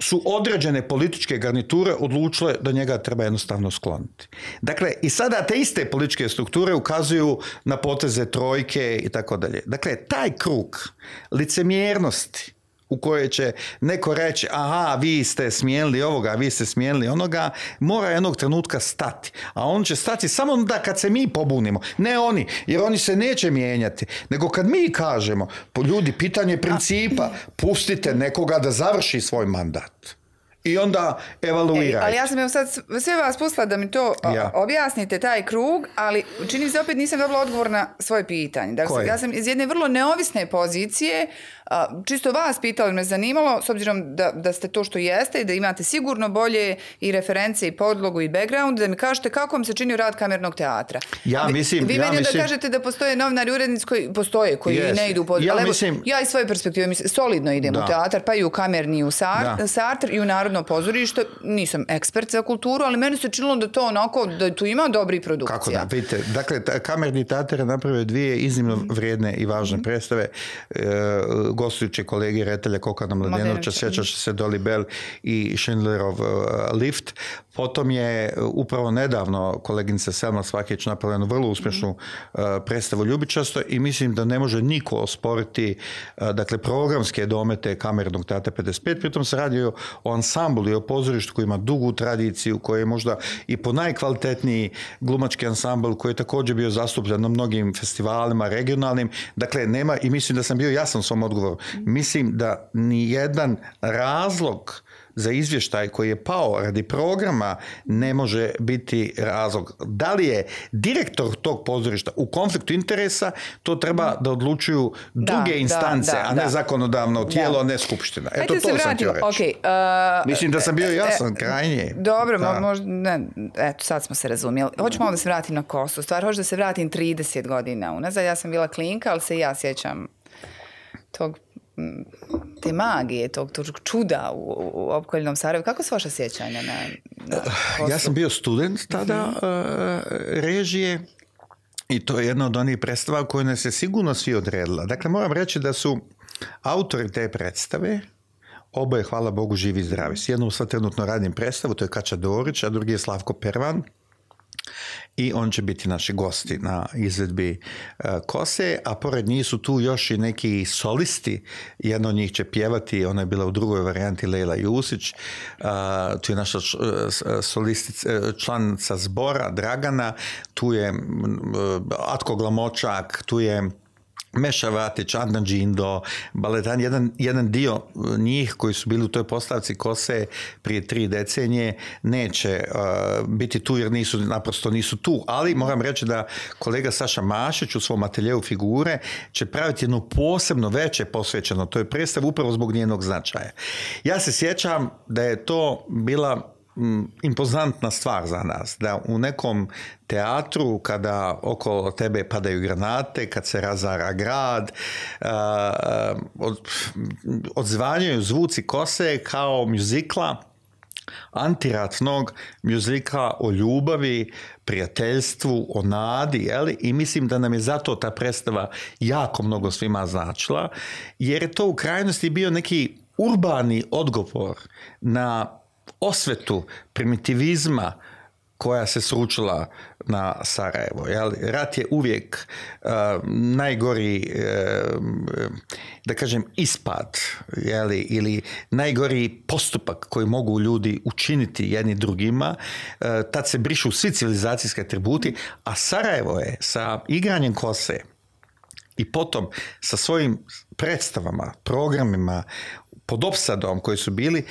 su određene političke garniture odlučile da njega treba jednostavno skloniti. Dakle, i sada te iste političke strukture ukazuju na poteze trojke i tako dalje. Dakle, taj krug licemjernosti u kojoj će neko reći, aha, vi ste smijenili ovoga, vi ste smijenili onoga, mora jednog trenutka stati. A on će stati samo onda kad se mi pobunimo. Ne oni, jer oni se neće mijenjati. Nego kad mi kažemo, ljudi, pitanje principa, pustite nekoga da završi svoj mandat. I onda evaluirajte. Ali ja sam sad sve vas pustila da mi to objasnite, taj krug, ali čini se opet nisam dobila odgovor na svoje pitanje. Dakle, ja sam iz jedne vrlo neovisne pozicije, čisto vas pitali, me zanimalo, s obzirom da ste to što jeste i da imate sigurno bolje i reference i podlogu i background, da mi kažete kako vam se čini rad kamernog teatra. Vi meni da kažete da postoje novinari, urednici koji postoje, koji ne idu u podlogu. Ja iz svoje perspektive solidno idem u teatar, pa i u kamerni, i u Sartre, i u Narodno pozorište. Nisam ekspert za kulturu, ali meni se činilo da to onako, da tu ima dobri produkcija. Kako da, vidite, dakle, kamerni teatar je napravio 2 iznimno vrijedne i važne predstave. Gostujući kolegi reditelja Kokana Mladenovića, sjećaš se Dolly Bell i Schindlerov lift. Potom je upravo nedavno koleginica Selma Svakić napravila jednu vrlo uspješnu predstavu Ljubičasto i mislim da ne može niko osporiti dakle, programske domete kamernog teatra 55. Pritom se radi o ansamblu i o pozorištu koji ima dugu tradiciju, koji je možda i po najkvalitetniji glumački ansambl koji je također bio zastupljen na mnogim festivalima regionalnim. Dakle, nema, i mislim da sam bio jasan u svom odgovoru, mislim da ni jedan razlog za izvještaj koji je pao radi programa ne može biti razlog. Da li je direktor tog pozorišta u konfliktu interesa, to treba da odlučuju druge instance, a ne zakonodavno tijelo, a ne skupština. Eto, to sam htio reći. Mislim da sam bio jasan, krajnje. Dobro, možda, eto, sad smo se razumjeli. Hoću malo da se vratim na kosu. Stvar, hoću da se vratim 30 godina unazad. Ja sam bila klinka, ali se ja sjećam te magije, tog čuda u opkoljenom Sarajevu. Kako su vaša sjećanja na kosu? Ja sam bio student tada režije i to je jedna od onih predstava koje nas je sigurno svi odredila. Dakle, moram reći da su autori te predstave oboje, hvala Bogu, živi i zdravi. S jednom sad trenutno radim predstavu, to je Kača Dorić, a drugi je Slavko Pervan. I on će biti naši gosti na izvedbi Kose, a pored njih su tu još i neki solisti. Jedna od njih će pjevati, ona je bila u drugoj varijanti, Lejla Jusić. Tu je naša članica zbora Dragana, tu je Atko Glamočak, tu je Meša Vatić, Adnan Džindo, baletani, jedan dio njih koji su bili u toj postavci Kose prije 3 decenije neće biti tu jer naprosto nisu tu. Ali moram reći da kolega Saša Mašić u svom ateljevu figure će praviti jedno posebno veće posvećeno toj predstavi upravo zbog njenog značaja. Ja se sjećam da je to bila impozantna stvar za nas, da u nekom teatru kada okolo tebe padaju granate, kad se razara grad, odzvanjaju zvuci Kose kao mjuzikla, antiratnog mjuzikla o ljubavi, prijateljstvu, o nadi, jeli? I mislim da nam je zato ta predstava jako mnogo svima značila, jer je to u krajnosti bio neki urbani odgovor na osvetu primitivizma koja se sručila na Sarajevo. Rat je uvijek najgori, da kažem, ispad, ili najgori postupak koji mogu ljudi učiniti jedni drugima. Tad se brišu svi civilizacijski atributi, a Sarajevo je sa igranjem Kose i potom sa svojim predstavama, programima, pod opsadom koji su bili,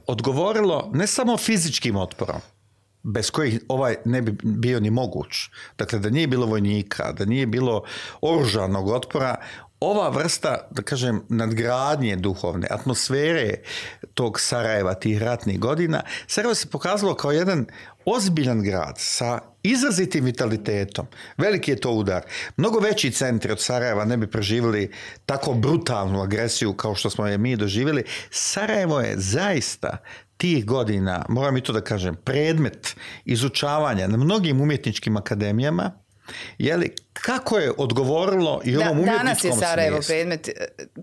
odgovorilo ne samo fizičkim otporom, bez kojih ovaj ne bi bio ni moguć. Dakle, da nije bilo vojnika, da nije bilo oružanog otpora, ova vrsta, da kažem, nadgradnje duhovne, atmosfere tog Sarajeva, tih ratnih godina, Sarajevo se pokazalo kao jedan ozbiljan grad sa izrazitim vitalitetom. Veliki je to udar. Mnogo veći centri od Sarajeva ne bi preživjeli tako brutalnu agresiju kao što smo je mi doživjeli. Sarajevo je zaista tih godina, moram i to da kažem, predmet izučavanja na mnogim umjetničkim akademijama. Kako je odgovorilo i ovom umjetničkom danas je Sarajevo smislu. predmet,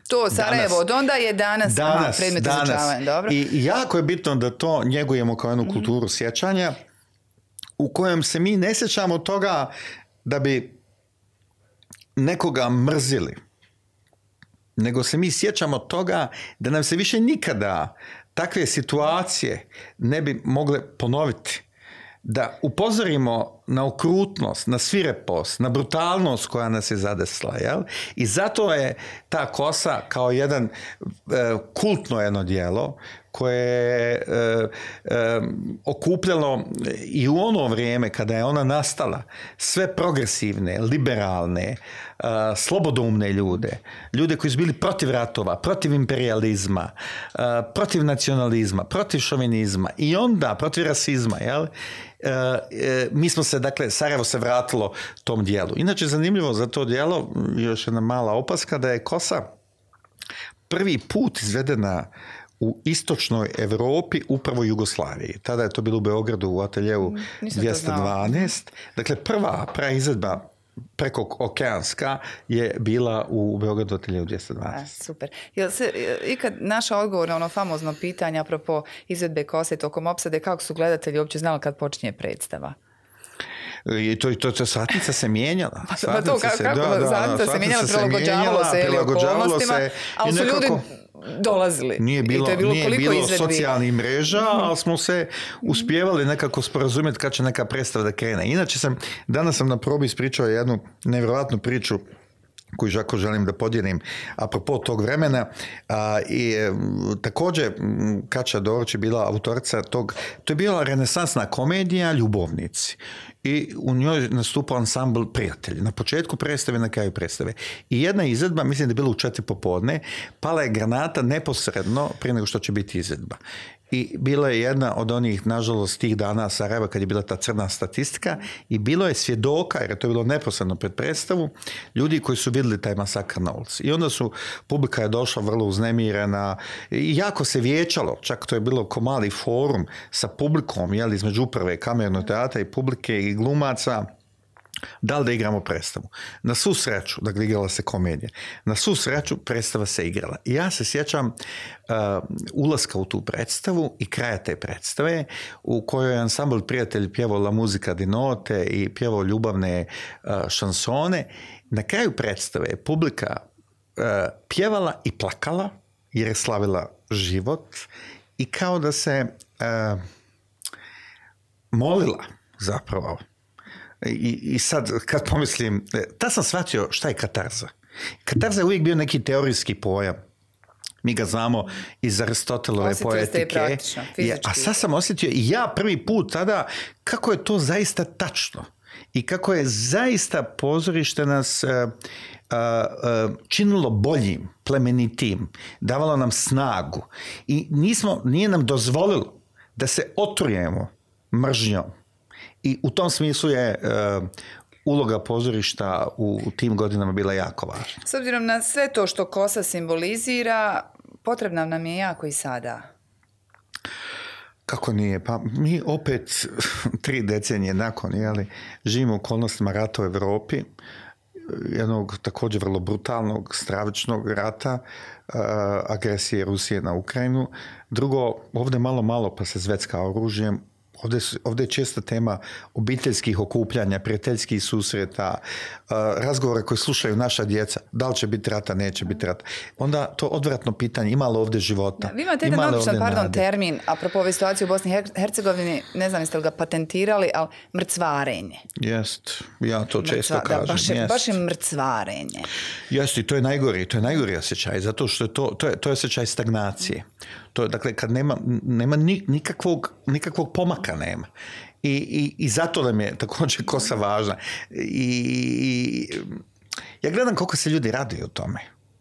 to Sarajevo od onda je danas predmet izučavanja. Dobro. I jako je bitno da to njegujemo kao jednu kulturu sjećanja u kojem se mi ne sjećamo toga da bi nekoga mrzili, nego se mi sjećamo toga da nam se više nikada takve situacije ne bi mogle ponoviti. Da upozorimo na okrutnost, na svirepost, na brutalnost koja nas je zadesla. Jel? I zato je ta Kosa kao jedan kultno jedno djelo koje je okupljalo i u ono vrijeme kada je ona nastala sve progresivne, liberalne, slobodoumne ljude koji su bili protiv ratova, protiv imperializma, protiv nacionalizma, protiv šovinizma i onda protiv rasizma. Jel? Mi smo se, dakle, Sarajevo se vratilo tom dijelu. Inače, zanimljivo za to dijelo, još jedna mala opaska, da je Kosa prvi put izvedena u istočnoj Europi, upravo Jugoslaviji. Tada je to bilo u Beogradu u ateljevu 212. Dakle, prva izvedba preko okeanska je bila u Beogradu ateljevu 212. Super. Jel se ikad naša odgovor na ono famozno pitanje apropo izvedbe Kose tokom opsade, kako su gledatelji uopće znali kad počinje predstava? I to satnica se mijenjala. Satnica se mijenjala, prilagođavalo se ali su ljudi dolazili. Nije bilo socijalnih mreža, ali smo se uspjevali nekako sporazumjeti kad će neka predstava da krene. Inače danas sam na probi ispričao jednu nevjerojatnu priču koju žako želim da podijelim apropo tog vremena. I također Kaća Doroć je bila autorica tog, to je bila renesansna komedija Ljubovnici. I u njoj nastupao ansambl Prijatelji. Na početku predstave, na kraju predstave. I jedna izvedba, mislim da je bila u 4 popodne, pala je granata neposredno prije nego što će biti izvedba. I bila je jedna od onih, nažalost, tih dana Sarajeva kad je bila ta crna statistika i bilo je svjedoka, jer je to bilo neposredno pred predstavu, ljudi koji su vidjeli taj masakr na ulici. I onda publika je došla vrlo uznemirena i jako se vijećalo, čak to je bilo ko mali forum sa publikom, između uprave kamernog teatra i publike i glumaca, da li da igramo predstavu. Na svu sreću, dakle igrala se komedija, na svu sreću predstava se igrala. I ja se sjećam ulaska u tu predstavu i kraja te predstave u kojoj je ansambl Prijatelji pjevao La Musica di Notte i pjevao ljubavne šansone. Na kraju predstave je publika pjevala i plakala jer je slavila život i kao da se molila zapravo. I sad kad pomislim, tad sam shvatio šta je katarza. Katarza je uvijek bio neki teorijski pojam. Mi ga znamo iz Aristotelove poetike. A sad sam osjetio i ja prvi put tada kako je to zaista tačno. I kako je zaista pozorište nas činilo boljim, plemenitim, davalo nam snagu. I nije nam dozvolilo da se otrujemo mržnjom. I u tom smislu je uloga pozorišta u tim godinama bila jako važna. S obzirom na sve to što kosa simbolizira, potrebna nam je jako i sada. Kako nije? Pa mi opet 3 decenije nakon, živimo u okolnostima rata u Europi, jednog također vrlo brutalnog, stravičnog rata, agresije Rusije na Ukrajinu. Drugo, ovdje malo pa se zvecka oružjem. Ovdje je česta tema obiteljskih okupljanja, prijateljskih susreta, razgovora koje slušaju naša djeca. Da li će biti rata, neće biti rata. Onda to odvratno pitanje, ima li ovdje života? Vi imate jedan običan, termin, apropo ove situacije u Bosni i Hercegovini, ne znam jeste li ga patentirali, ali mrcvarenje. Jest, ja to često kažem. Baš je mrcvarenje. Jest, i to je najgori osjećaj, zato što to je osjećaj stagnacije. To je, dakle, kad nema nikakvog pomaka nema. I zato nam je također kosa važna. Ja gledam koliko se ljudi raduju o tome.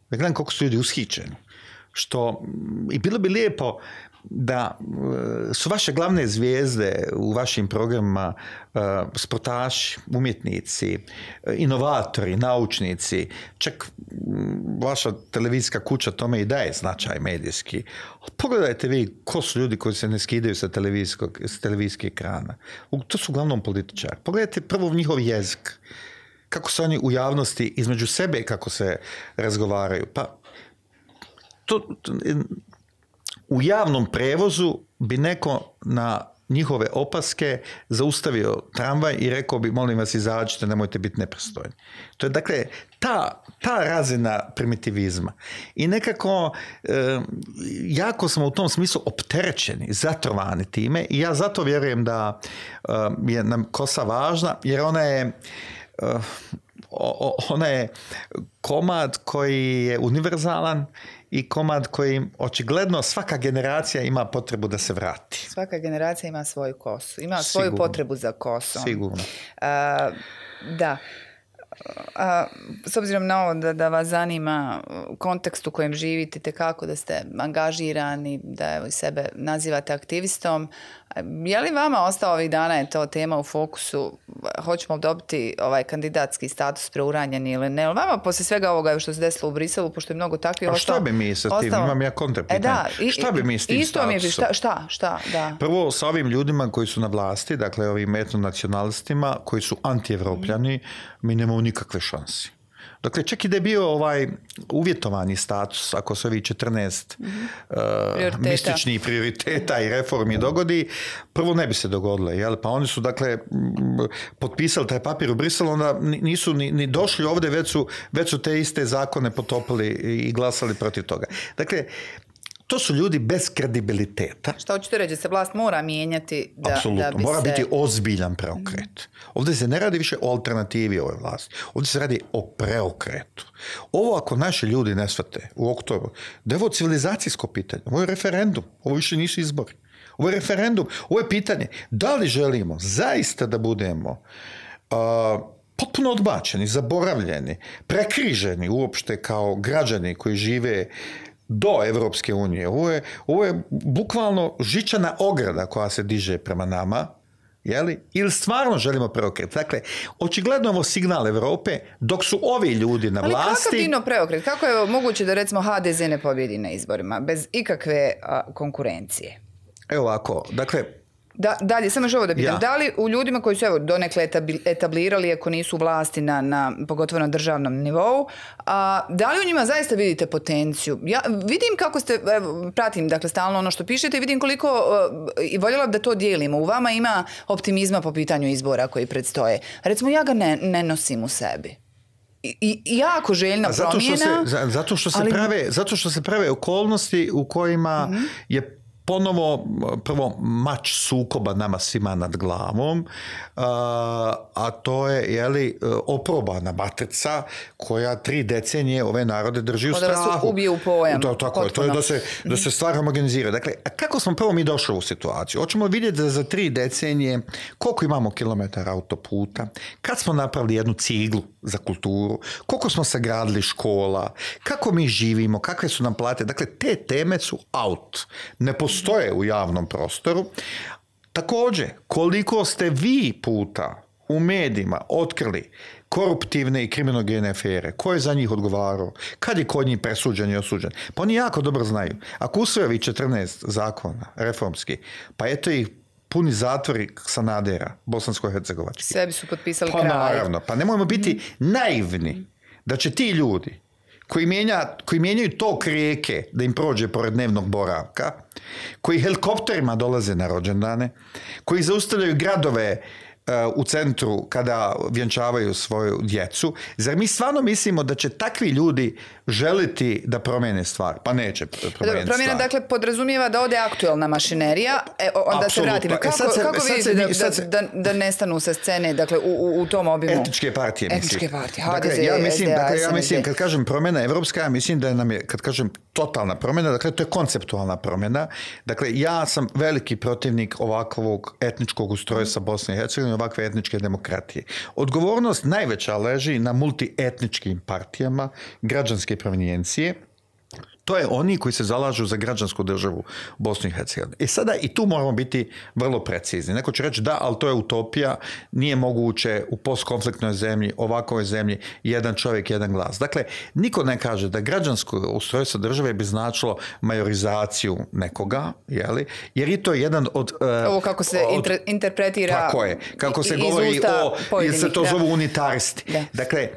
Ja gledam koliko su ljudi ushićeni. I bilo bi lijepo da su vaše glavne zvijezde u vašim programima sportaši, umjetnici, inovatori, naučnici, čak vaša televizijska kuća tome i daje značaj medijski. Pogledajte vi ko su ljudi koji se ne skidaju sa televizijskih ekrana. To su uglavnom političari. Pogledajte prvo njihov jezik. Kako se oni u javnosti između sebe kako se razgovaraju. Pa u javnom prevozu bi neko na njihove opaske zaustavio tramvaj i rekao bi, molim vas, izađite, nemojte biti nepristojni. To je, dakle, ta razina primitivizma. I nekako jako smo u tom smislu opterećeni, zatrovani time i ja zato vjerujem da je nam kosa važna, jer ona je komad koji je univerzalan i komad koji očigledno svaka generacija ima potrebu da se vrati. Svaka generacija ima svoju kosu, ima svoju potrebu za kosom. Sigurno. Da. S obzirom na ovo da vas zanima kontekst u kojem živite, te kako da ste angažirani, da sebe nazivate aktivistom, je li vama ostao ovih dana je to tema u fokusu, hoćemo dobiti ovaj kandidatski status preuranjeni ili ne? Vama poslije svega ovoga što se desilo u Briselu, pošto je mnogo takvih ostalo... A šta bi mi sa tim? Imam ja kontrapitanje. Šta bi mi s tim statusom? Šta? Da. Prvo, sa ovim ljudima koji su na vlasti, dakle ovim etnonacionalistima, koji su anti-evropljani, mi nemamo nikakve šanse. Dakle, čak i da je bio uvjetovani status, ako se ovi 14 mističnih prioriteta i reformi dogodi, prvo ne bi se dogodilo. Jel? Pa oni su, dakle, potpisali taj papir u Briselu, onda nisu ni došli ovdje, već su te iste zakone potopili i glasali protiv toga. Dakle, to su ljudi bez kredibiliteta. Šta hoćete reći, da se vlast mora mijenjati Apsolutno, mora biti ozbiljan preokret. Ovdje se ne radi više o alternativi ove vlasti. Ovdje se radi o preokretu. Ovo ako naši ljudi ne shvate u oktobru, da je ovo civilizacijsko pitanje, ovo je referendum, ovo više nisu izbori. Ovo je referendum, ovo je pitanje da li želimo zaista da budemo potpuno odbačeni, zaboravljeni, prekriženi uopšte kao građani koji žive do Evropske unije. Ovo je bukvalno žičana ograda koja se diže prema nama, ili stvarno želimo preokret. Dakle, očigledno ovo signal Evrope, dok su ovi ljudi na vlasti... Ali kakav dino preokret? Kako je moguće da recimo HDZ ne pobjedi na izborima bez ikakve konkurencije? Evo ovako, dakle... Dalje, samo još ovo da pitam. Da li u ljudima koji su donekle etablirali, ako nisu u vlasti pogotovo na državnom nivou, da li u njima zaista vidite potenciju? Ja vidim kako ste, pratim dakle stalno ono što pišete i vidim koliko, i voljela da to dijelimo. U vama ima optimizma po pitanju izbora koji predstoje. Recimo, ja ga ne nosim u sebi. I jako željna promjena. Zato što se prave okolnosti u kojima je ponovo prvo mač sukoba nama svima nad glavom, a to je oprobana matrica koja 3 decenije ove narode drži u strahu. Da vas ubije u pojam. Tako je, to je da se stvar homogenizira. Dakle, a kako smo prvo mi došli u situaciju? Hoćemo vidjeti da za 3 decenije koliko imamo kilometara autoputa, kad smo napravili jednu ciglu za kulturu, koliko smo sagradili škola, kako mi živimo, kakve su nam plate. Dakle, te teme su out. Ne postoje u javnom prostoru. Također, koliko ste vi puta u medijima otkrili koruptivne i kriminogene afere, ko je za njih odgovarao, kad je kod njih presuđen i osuđen. Pa oni jako dobro znaju. Ako usvojevi 14 zakona reformski, pa eto ih puni zatvori Sanadera, bosansko-hercegovački. Sebi su potpisali kraj. Pa naravno, pa nemojmo biti naivni da će ti ljudi koji mijenjaju tok rijeke da im prođe pored dnevnog boravka, koji helikopterima dolaze na rođendane, koji zaustavljaju gradove u centru kada vjenčavaju svoju djecu. Zar mi stvarno mislimo da će takvi ljudi želiti da promijene stvar? Pa neće promijeniti promjena, stvar. Dakle, podrazumijeva da ode aktuelna mašinerija. Onda se vratimo. Kako vidite da nestanu sa scene, dakle, u tom obimu? Etničke partije, Etničke partije. Ja mislim, kad kažem promjena evropska, ja mislim da nam je, kad kažem totalna promjena, dakle, to je konceptualna promjena. Dakle, ja sam veliki protivnik ovakvog etničkog ustrojstva Bosne i Hercegovine, ovakve etničke demokratije. Odgovornost najveća leži na multietničkim partijama, građanske provenijencije. To je oni koji se zalažu za građansku državu Bosnu i Hercegovinu. I sada i tu moramo biti vrlo precizni. Neko će reći da, ali to je utopija, nije moguće u postkonfliktnoj zemlji, ovakvoj zemlji, jedan čovjek, jedan glas. Dakle, niko ne kaže da građansko ustrojstvo države bi značilo majorizaciju nekoga, jeli? Jer i to je jedan od... Ovo kako se interpretira... Tako je. Kako se govori jer se to zovu unitaristi. Da. Dakle,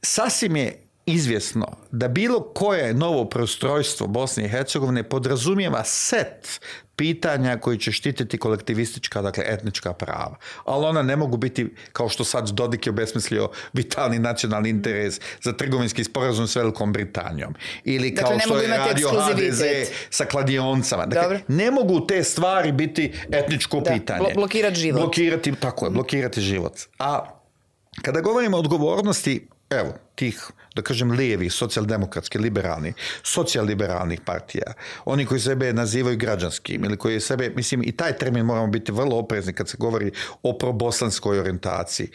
sasvim je izvjesno da bilo koje novo preustrojstvo Bosne i Hercegovine podrazumijeva set pitanja koji će štititi kolektivistička, dakle etnička prava. Ali ona ne mogu biti, kao što sad Dodik je obesmislio, vitalni nacionalni interes za trgovinski sporazum s Velikom Britanijom. Ili kao što je radio HDZ sa kladioncama. Dakle, ne mogu te stvari biti etničko pitanje. Blokirati život. Blokirati život. A kada govorimo o odgovornosti, evo, tih, da kažem, lijevih, socijaldemokratskih, liberalnih, socijaliberalnih partija, oni koji sebe nazivaju građanskim ili koji sebe, mislim, i taj termin moramo biti vrlo oprezni kad se govori o probosanskoj orijentaciji.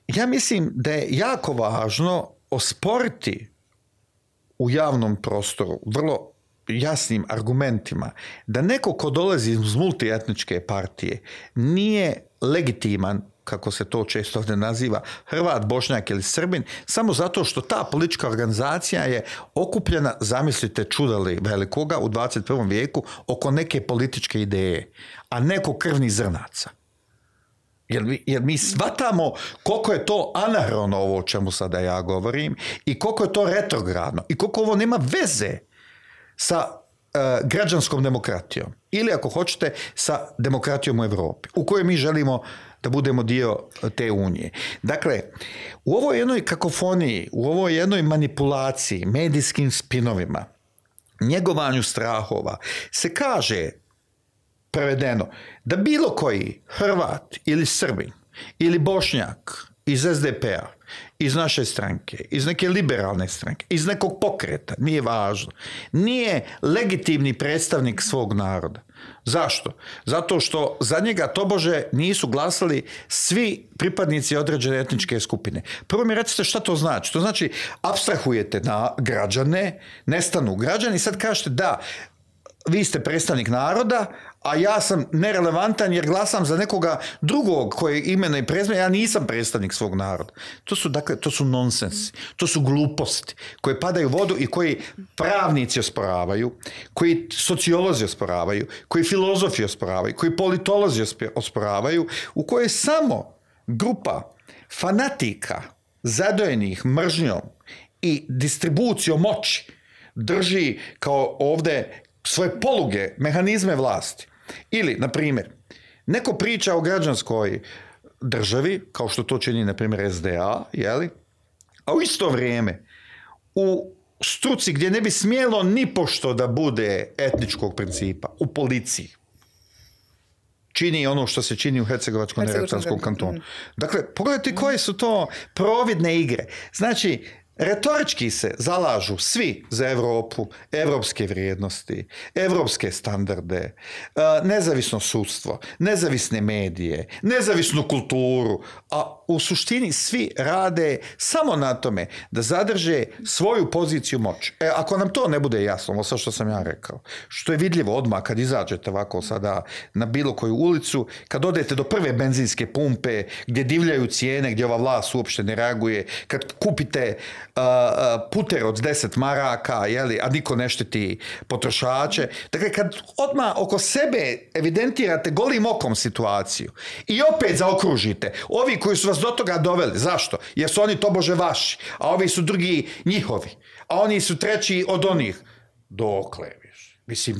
Ja mislim da je jako važno osporiti u javnom prostoru vrlo jasnim argumentima da neko ko dolazi iz multietničke partije nije legitiman, kako se to često ovdje naziva, Hrvat, Bošnjak ili Srbin, samo zato što ta politička organizacija je okupljena, zamislite čudali velikoga u 21. vijeku, oko neke političke ideje, a neko krvnih zrnaca. Jer mi shvatamo koliko je to anahrono ovo o čemu sada ja govorim i koliko je to retrogradno i koliko ovo nema veze sa građanskom demokratijom ili ako hoćete sa demokratijom u Europi u kojoj mi želimo da budemo dio te unije. Dakle, u ovoj jednoj kakofoniji, u ovoj jednoj manipulaciji, medijskim spinovima, njegovanju strahova, se kaže, prevedeno, da bilo koji Hrvat ili Srbin ili Bošnjak iz SDP-a, iz naše stranke, iz neke liberalne stranke, iz nekog pokreta, nije važno, nije legitimni predstavnik svog naroda. Zašto? Zato što za njega tobože nisu glasali svi pripadnici određene etničke skupine. Prvo mi recite šta to znači. To znači apstrahujete na građane, nestanu građani i sad kažete da, vi ste predstavnik naroda, a ja sam nerelevantan jer glasam za nekoga drugog koji imena i prezme, ja nisam predstavnik svog naroda. To su nonsensi, to su gluposti koje padaju u vodu i koji pravnici osporavaju, koji sociolozi osporavaju, koji filozofi osporavaju, koji politolozi osporavaju, u kojoj samo grupa fanatika zadojenih mržnjom i distribucijom moći drži kao ovdje svoje poluge, mehanizme vlasti. Ili, na primjer, neko priča o građanskoj državi, kao što to čini, na primjer, SDA, jeli? A u isto vrijeme u struci gdje ne bi smjelo ni pošto da bude etničkog principa, u policiji. Čini ono što se čini u Hercegovačko-neretvanskom kantonu. Dakle, pogledajte koje su to providne igre. Znači, retorički se zalažu svi za Europu, evropske vrijednosti, evropske standarde, nezavisno sudstvo, nezavisne medije, nezavisnu kulturu, a u suštini svi rade samo na tome da zadrže svoju poziciju moći. Ako nam to ne bude jasno, ovo sve što sam ja rekao, što je vidljivo odmah kad izađete ovako sada na bilo koju ulicu, kad odete do prve benzinske pumpe gdje divljaju cijene, gdje ova vlast uopšte ne reaguje, kad kupite puter od 10 maraka, jeli, a niko ne štiti potrošače. Dakle, kad odmah oko sebe evidentirate golim okom situaciju i opet zaokružite ovi koji su vas do toga doveli. Zašto? Jer su oni tobože vaši, a ovi su drugi njihovi, a oni su treći od onih. Dokle više? Mislim,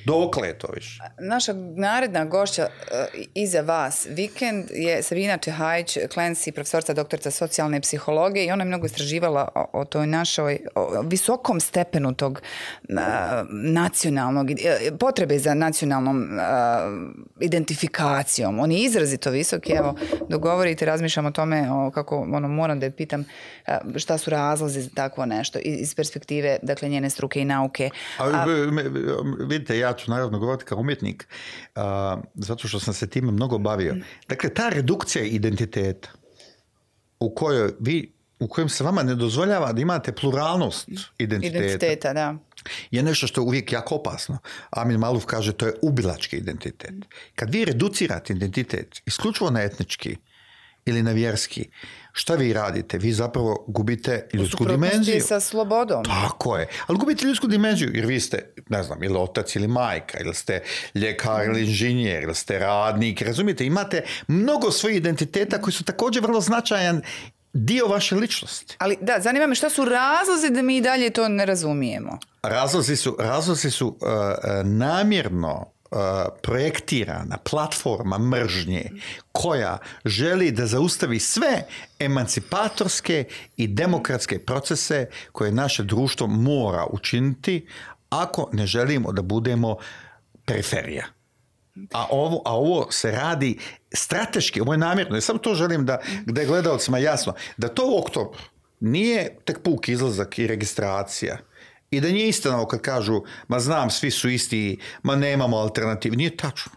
dokle to više? Naša naredna gošća iza vas vikend je Sabina Čehajić, Clancy, profesorica, doktorica socijalne psihologije, i ona je mnogo istraživala o toj našoj visokom stepenu tog nacionalnog, potrebe za nacionalnom identifikacijom. On je izrazito visoki. Evo, dogovorite, razmišljam o tome, kako moram da je pitam šta su razlozi za takvo nešto iz perspektive, dakle, njene struke i nauke. Vidite, ja ću naravno govoriti kao umjetnik, zato što sam se time mnogo bavio. Dakle, ta redukcija identiteta u kojem se vama ne dozvoljava da imate pluralnost identiteta da, je nešto što je uvijek jako opasno. Amin Maluf kaže, to je ubilački identitet. Kad vi reducirate identitet isključivo na etnički ili na vjerski, šta vi radite? Vi zapravo gubite ljudsku dimenziju. Sa slobodom. Tako je. Ali gubite ljudsku dimenziju, jer vi ste, ne znam, ili otac ili majka, ili ste ljekar ili inženjer, ili ste radnik. Razumijete, imate mnogo svojih identiteta koji su također vrlo značajan dio vaše ličnosti. Ali da, zanima me šta su razlozi da mi i dalje to ne razumijemo. Razlozi su namjerno projektirana platforma mržnje koja želi da zaustavi sve emancipatorske i demokratske procese koje naše društvo mora učiniti ako ne želimo da budemo periferija. A ovo se radi strateški, ovo je namjerno. Ja samo to želim da je gledalcima jasno, da to u oktobru nije tek puk izlazak i registracija. I da nije istina kad kažu, ma znam, svi su isti, ma nemamo alternativu. Nije tačno.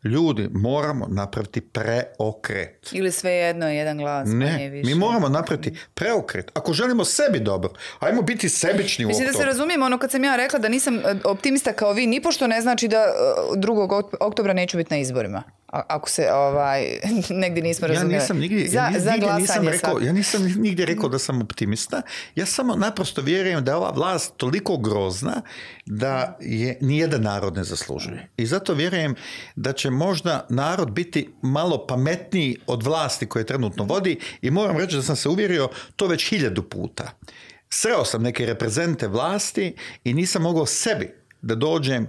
Ljudi, moramo napraviti preokret. Ili sve jedno, jedan glas. Ne, mi moramo napraviti preokret. Ako želimo sebi dobro, ajmo biti sebični u oktobru. Mislim da se razumijemo, kad sam ja rekla da nisam optimista kao vi, nipošto ne znači da 2. oktobra neću biti na izborima. Ako se negdje nismo razumijeli. Ja nisam nigdje rekao da sam optimista. Ja samo naprosto vjerujem da je ova vlast toliko grozna da je nijedan narod ne zaslužuje. I zato vjerujem da će možda narod biti malo pametniji od vlasti koje trenutno vodi, i moram reći da sam se uvjerio to već 1000 puta. Sreo sam neke reprezente vlasti i nisam mogao sebi da dođem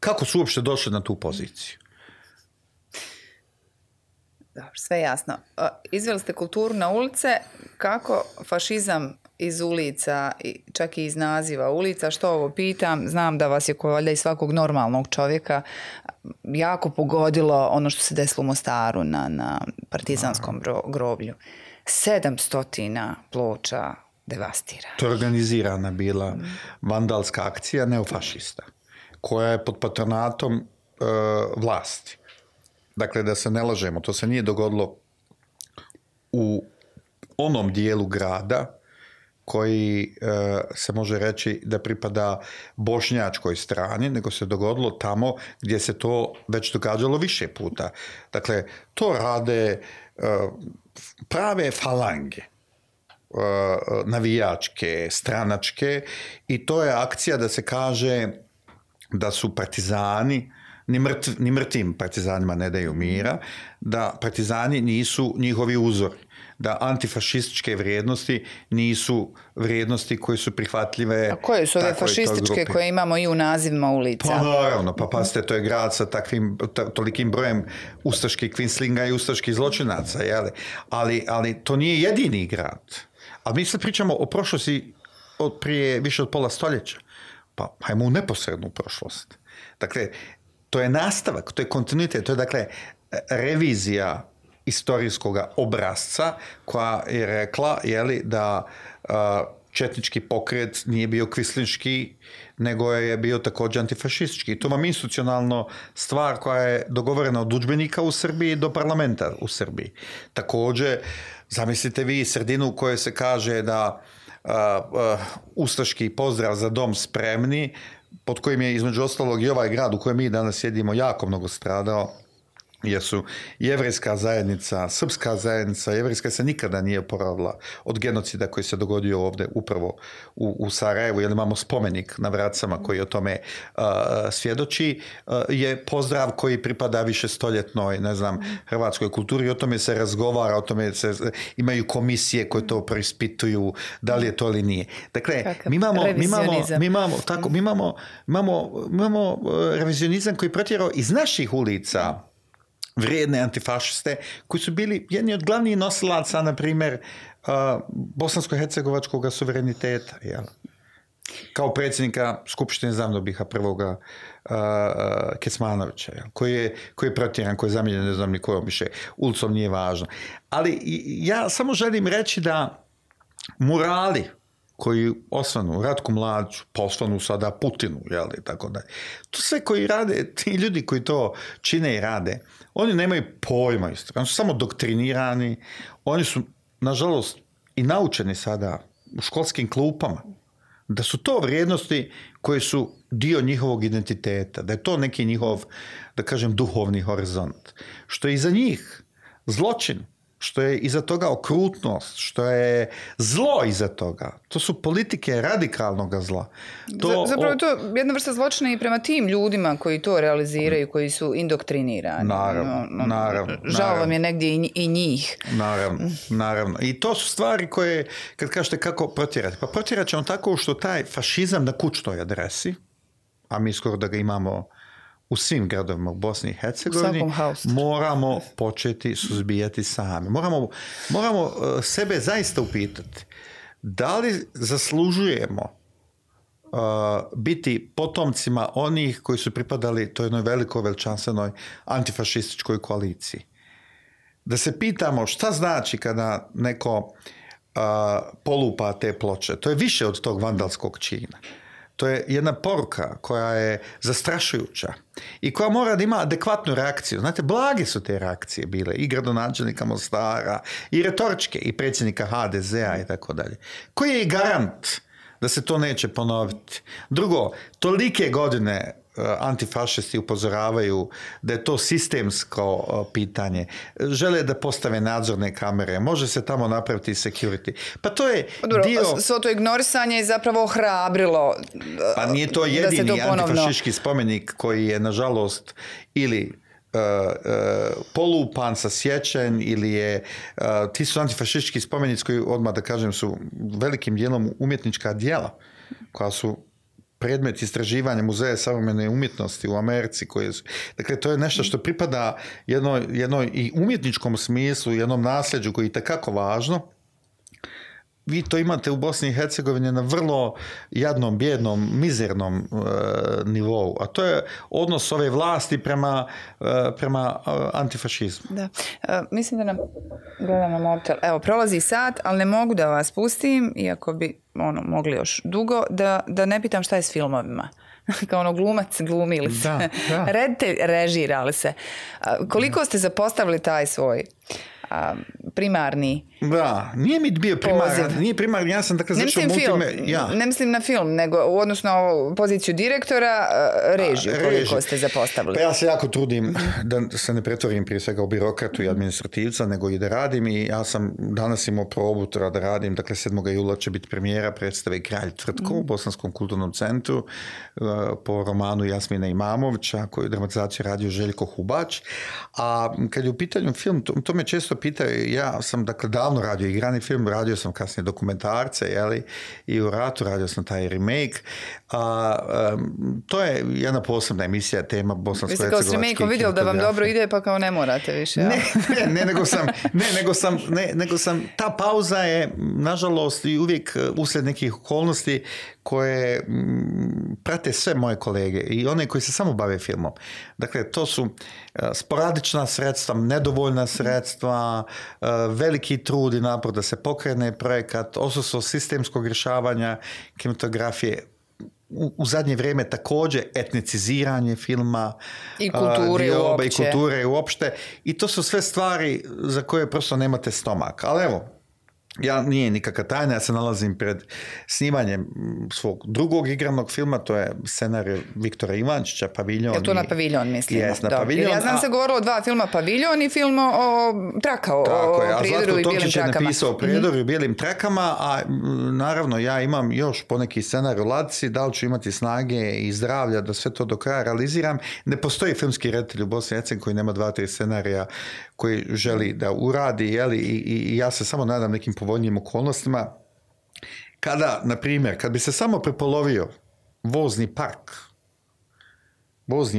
kako su uopšte došli na tu poziciju. Dobro, sve jasno. Izveli ste kulturu na ulice. Kako fašizam iz ulica, čak i iz naziva ulica, što ovo pitam, znam da vas je, ko valjda i svakog normalnog čovjeka, jako pogodilo ono što se desilo u Mostaru na partizanskom groblju. 700 ploča devastirano. To je organizirana bila vandalska akcija neofašista, koja je pod patronatom vlasti. Dakle, da se ne lažemo, to se nije dogodilo u onom dijelu grada koji se može reći da pripada bošnjačkoj strani, nego se dogodilo tamo gdje se to već događalo više puta. Dakle, to rade prave falange, navijačke, stranačke, i to je akcija da se kaže da su partizani, ni mrtvim partizanima ne daju mira, da partizani nisu njihovi uzori, da antifašističke vrijednosti nisu vrijednosti koje su prihvatljive. A koje su ove fašističke koje imamo i u nazivima ulica? Pa naravno, pa pazite, to je grad sa tolikim brojem ustaških kvinslinga i ustaških zločinaca, jeli? Ali to nije jedini grad. Ali mi sad pričamo o prošlosti prije više od pola stoljeća. Pa hajmo u neposrednu prošlost. Dakle, to je nastavak, to je kontinuitet, to je dakle revizija istorijskog obrazca koja je rekla da četnički pokret nije bio kvislinški, nego je bio također antifašistički. To vam institucionalno stvar koja je dogovorena od udžbenika u Srbiji do parlamenta u Srbiji. Također, zamislite vi sredinu u kojoj se kaže da ustaški pozdrav za dom spremni, pod kojim je između ostalog i ovaj grad u kojem mi danas sjedimo jako mnogo stradao, jer su jevrejska zajednica, srpska zajednica, jevrejska se nikada nije oporavila od genocida koji se dogodio ovdje upravo u Sarajevu, jer imamo spomenik na Vracama koji o tome svjedoči, je pozdrav koji pripada višestoljetnoj, hrvatskoj kulturi, o tome se razgovara, o tome imaju komisije koje to preispituju, da li je to ili nije. Dakle, mi imamo revizionizam koji protjerao iz naših ulica vrijedne antifašiste koji su bili jedni od glavnih nosilaca, na primjer, bosansko-hercegovačkog suvereniteta. Jel? Kao predsjednika Skupštine Zavnobiha prvoga Kecmanovića, jel? Koji je protjeran, koji je zamijenjen, ne znam ni kojom više, ulicom nije važno. Ali ja samo želim reći da murali koji osvanu Ratku Mladiću, pa osvanu sada Putinu, jel, i tako dalje. To sve koji rade, ti ljudi koji to čine i rade, oni nemaju pojma istorije, oni su samo doktrinirani, oni su, nažalost, i naučeni sada u školskim klupama, da su to vrijednosti koje su dio njihovog identiteta, da je to neki njihov, da kažem, duhovni horizont. Što je iza njih zločin, što je iza toga okrutnost, što je zlo iza toga. To su politike radikalnog zla. Zapravo je to jedna vrsta zločina i prema tim ljudima koji to realiziraju, koji su indoktrinirani. Naravno. Žao vam je negdje i njih. Naravno. I to su stvari koje, kad kažete kako protjerati, pa protjerat ćemo tako što taj fašizam na kućnoj adresi, a mi skoro da ga imamo u svim gradovima u Bosni i Hercegovini, moramo početi suzbijati sami. Moramo sebe zaista upitati da li zaslužujemo biti potomcima onih koji su pripadali toj jednoj velikoj veličanstvenoj antifašističkoj koaliciji. Da se pitamo šta znači kada neko polupa te ploče. To je više od tog vandalskog čina. To je jedna poruka koja je zastrašujuća i koja mora da ima adekvatnu reakciju. Znate, blage su te reakcije bile i gradonačelnika Mostara, i retoričke, i predsjednika HDZ-a i tako dalje. Koji je garant da se to neće ponoviti? Drugo, tolike godine antifašisti upozoravaju da je to sistemsko pitanje. Žele da postave nadzorne kamere. Može se tamo napraviti security. Pa to je dio... Svo to ignorisanje je zapravo ohrabrilo pa nije to jedini antifašistički spomenik koji je, nažalost, ili polupan, sasječen ili je ti su antifašistički spomenici koji, odmah da kažem, su velikim dijelom umjetnička djela koja su predmet istraživanja Muzeja savremene umjetnosti u Americi. Dakle, to je nešto što pripada jednoj i umjetničkom smislu, jednom nasljeđu koji je itekako važno. Vi to imate u Bosni i Hercegovini na vrlo jadnom, bijednom, mizernom nivou. A to je odnos ove vlasti prema antifašizmu. Da. Mislim da nam gledam na mobitel. Evo, prolazi sat, ali ne mogu da vas pustim, iako bi mogli još dugo, da ne pitam šta je s filmovima. Kao glumac glumili se. Reditelj režirali se. Koliko ste zapostavili taj svoj primarni da, nije mi bio primarni, ja sam dakle zašao ne mislim na film, nego u odnosu na poziciju direktora, režiju, koliko ste zapostavili? Pa ja se jako trudim da se ne pretvorim prije svega u birokratu i administrativca, nego i da radim, i ja sam danas imao probu da radim, dakle 7. jula će biti premijera predstave Kralj Tvrtko u Bosanskom kulturnom centru po romanu Jasmina Imamovića, koju je dramatizaciju radio Željko Hubač. A kad je u pitanju film, to me često pitaju, ja sam dakle davno radio igrani film, radio sam kasnije dokumentarce, jeli, i u ratu radio sam taj remake. To je jedna posebna emisija, tema bosansko-hercegovački. Vi ste kao s remake-om vidjeli da vam dobro ide, pa kao ne morate više. Ja? Nego sam, ta pauza je, nažalost, i uvijek uslijed nekih okolnosti koje prate sve moje kolege i one koji se samo bave filmom. Dakle, to su sporadična sredstva, nedovoljna sredstva, veliki trud i napor da se pokrene projekat, odsustvo sistemskog rješavanja kinematografije, u zadnje vrijeme također etniciziranje filma i kulture uopšte. I to su sve stvari za koje prosto nemate stomak. Ali evo, ja nije nikakva tajna, ja se nalazim pred snimanjem svog drugog igranog filma, to je scenarij Viktora Ivančića, Paviljon. Je to na Paviljon, mislim? Jes, na Paviljon. Ja znam se govorilo o 2 filma, Paviljon i film o traka, o Prijedoru i bijelim trakama. Je napisao o Prijedoru i bijelim trakama, a naravno ja imam još poneki scenarij u ladici, da li ću imati snage i zdravlja da sve to do kraja realiziram. Ne postoji filmski reditelj u Bosni i Hercegovini koji nema 2-3 scenarija koji želi da uradi, jeli, i ja se samo nadam nekim povoljnijim okolnostima. Kada, na primjer, kad bi se samo prepolovio vozni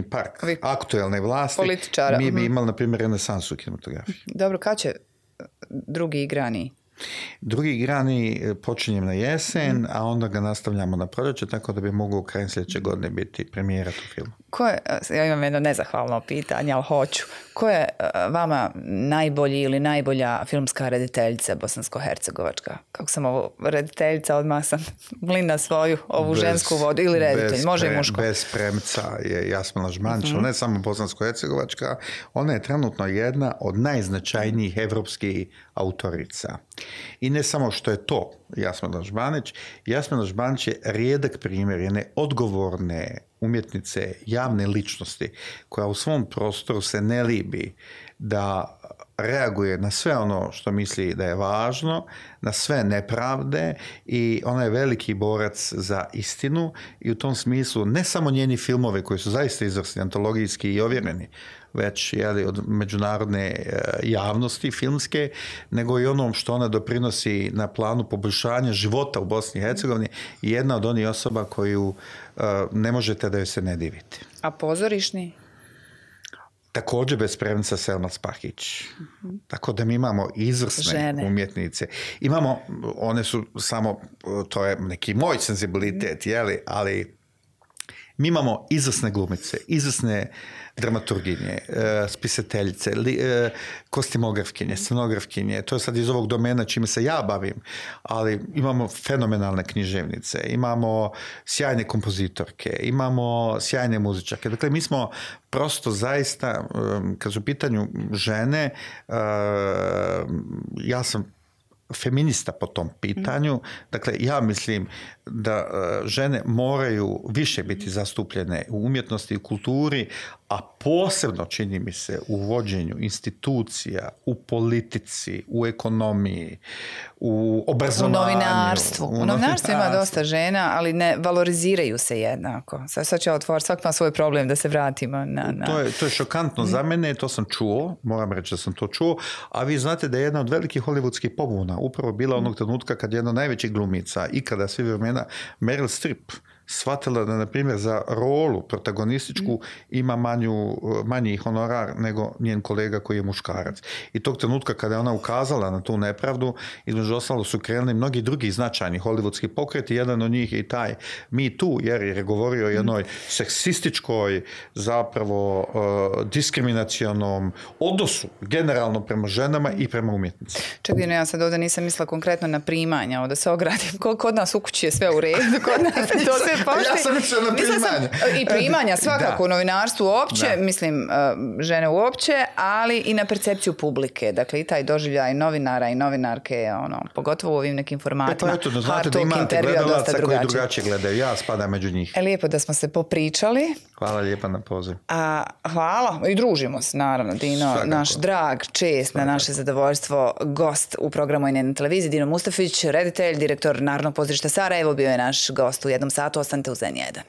park aktuelne vlasti, političara. Mi bi imali, na primjer, renesansu u kinematografiji. Dobro, kad će drugi igrani? Drugi igrani počinjem na jesen, a onda ga nastavljamo na proljeće, tako da bi mogao krajem sljedeće godine biti premijera tog filma. Ja imam jedno nezahvalno pitanje, ali hoću. Ko je vama najbolji ili najbolja filmska rediteljica bosansko-hercegovačka? Kako sam ovo rediteljica, odmah sam mlina svoju, ovu žensku vodu, ili reditelj, može i muško. Bez premca je Jasmina Žmanić, ne samo bosansko-hercegovačka, ona je trenutno jedna od najznačajnijih evropskih autorica. I ne samo što je to Jasmina Žmanić je rijedak primjer jedne odgovorne umjetnice, javne ličnosti koja u svom prostoru se ne libi da reaguje na sve ono što misli da je važno, na sve nepravde, i ona je veliki borac za istinu i u tom smislu ne samo njeni filmove koji su zaista izvrsni, antologijski i ovjereni, već od međunarodne javnosti filmske, nego i onom što ona doprinosi na planu poboljšanja života u Bosni i Hercegovini, i jedna od onih osoba koju ne možete da joj se ne divite. A pozorišni? Također bez premca Selma Spahić. Tako da mi imamo izvrsne umjetnice. Imamo, one su samo, to je neki moj senzibilitet, ali mi imamo izvrsne glumice, izvrsne dramaturginje, spisateljice, kostimografkinje, scenografkinje. To je sad iz ovog domena čime se ja bavim, ali imamo fenomenalne književnice, imamo sjajne kompozitorke, imamo sjajne muzičarke. Dakle, mi smo prosto zaista, kad su u pitanju žene, ja sam feminista po tom pitanju. Dakle, ja mislim da žene moraju više biti zastupljene u umjetnosti i kulturi, a posebno, čini mi se, u vođenju institucija, u politici, u ekonomiji, u obrazovanju. U novinarstvu ima dosta žena, ali ne valoriziraju se jednako. Sad ću otvoriti, svak ima svoj problem da se vratimo na... To je šokantno za mene, to sam čuo, moram reći da sam to čuo, a vi znate da je jedna od velikih hollywoodskih pobuna upravo bila onog trenutka kad je jedna od najvećih glumica ikada svih vremena, Meryl Streep, shvatila da, na primjer, za rolu protagonističku ima manji honorar nego njen kolega koji je muškarac. I tog trenutka kada je ona ukazala na tu nepravdu, između ostalo su krenuli mnogi drugi značajni hollywoodski pokreti. Jedan od njih je i taj Me Too, jer je govorio o jednoj seksističkoj, zapravo diskriminacionom odnosu generalno prema ženama i prema umjetnicima. Čekaj, ja sad ovdje nisam mislila konkretno na primanja, da se ogradim. Kod nas u kući je sve u redu, kod nas je to sve pošti. Ja sam mislila na primanja. I primanja svakako u novinarstvu uopće, mislim žene uopće, ali i na percepciju publike. Dakle, i taj doživljaj novinara i novinarke, pogotovo u ovim nekim formatima. Pa eto, da znate da imate gledalaca koji drugačije gledaju. Ja spadam među njih. Lijepo da smo se popričali. Hvala lijepa na poziv. Hvala. I družimo se, naravno, Dino. Svakako. Naš drag, čest, na naše zadovoljstvo, gost u programu N1 televiziji, Dino Mustafić, reditelj, direktor Narodnog pozorišta Sarajevo, bio je naš gost u jednom satu. Ostanite uz N1.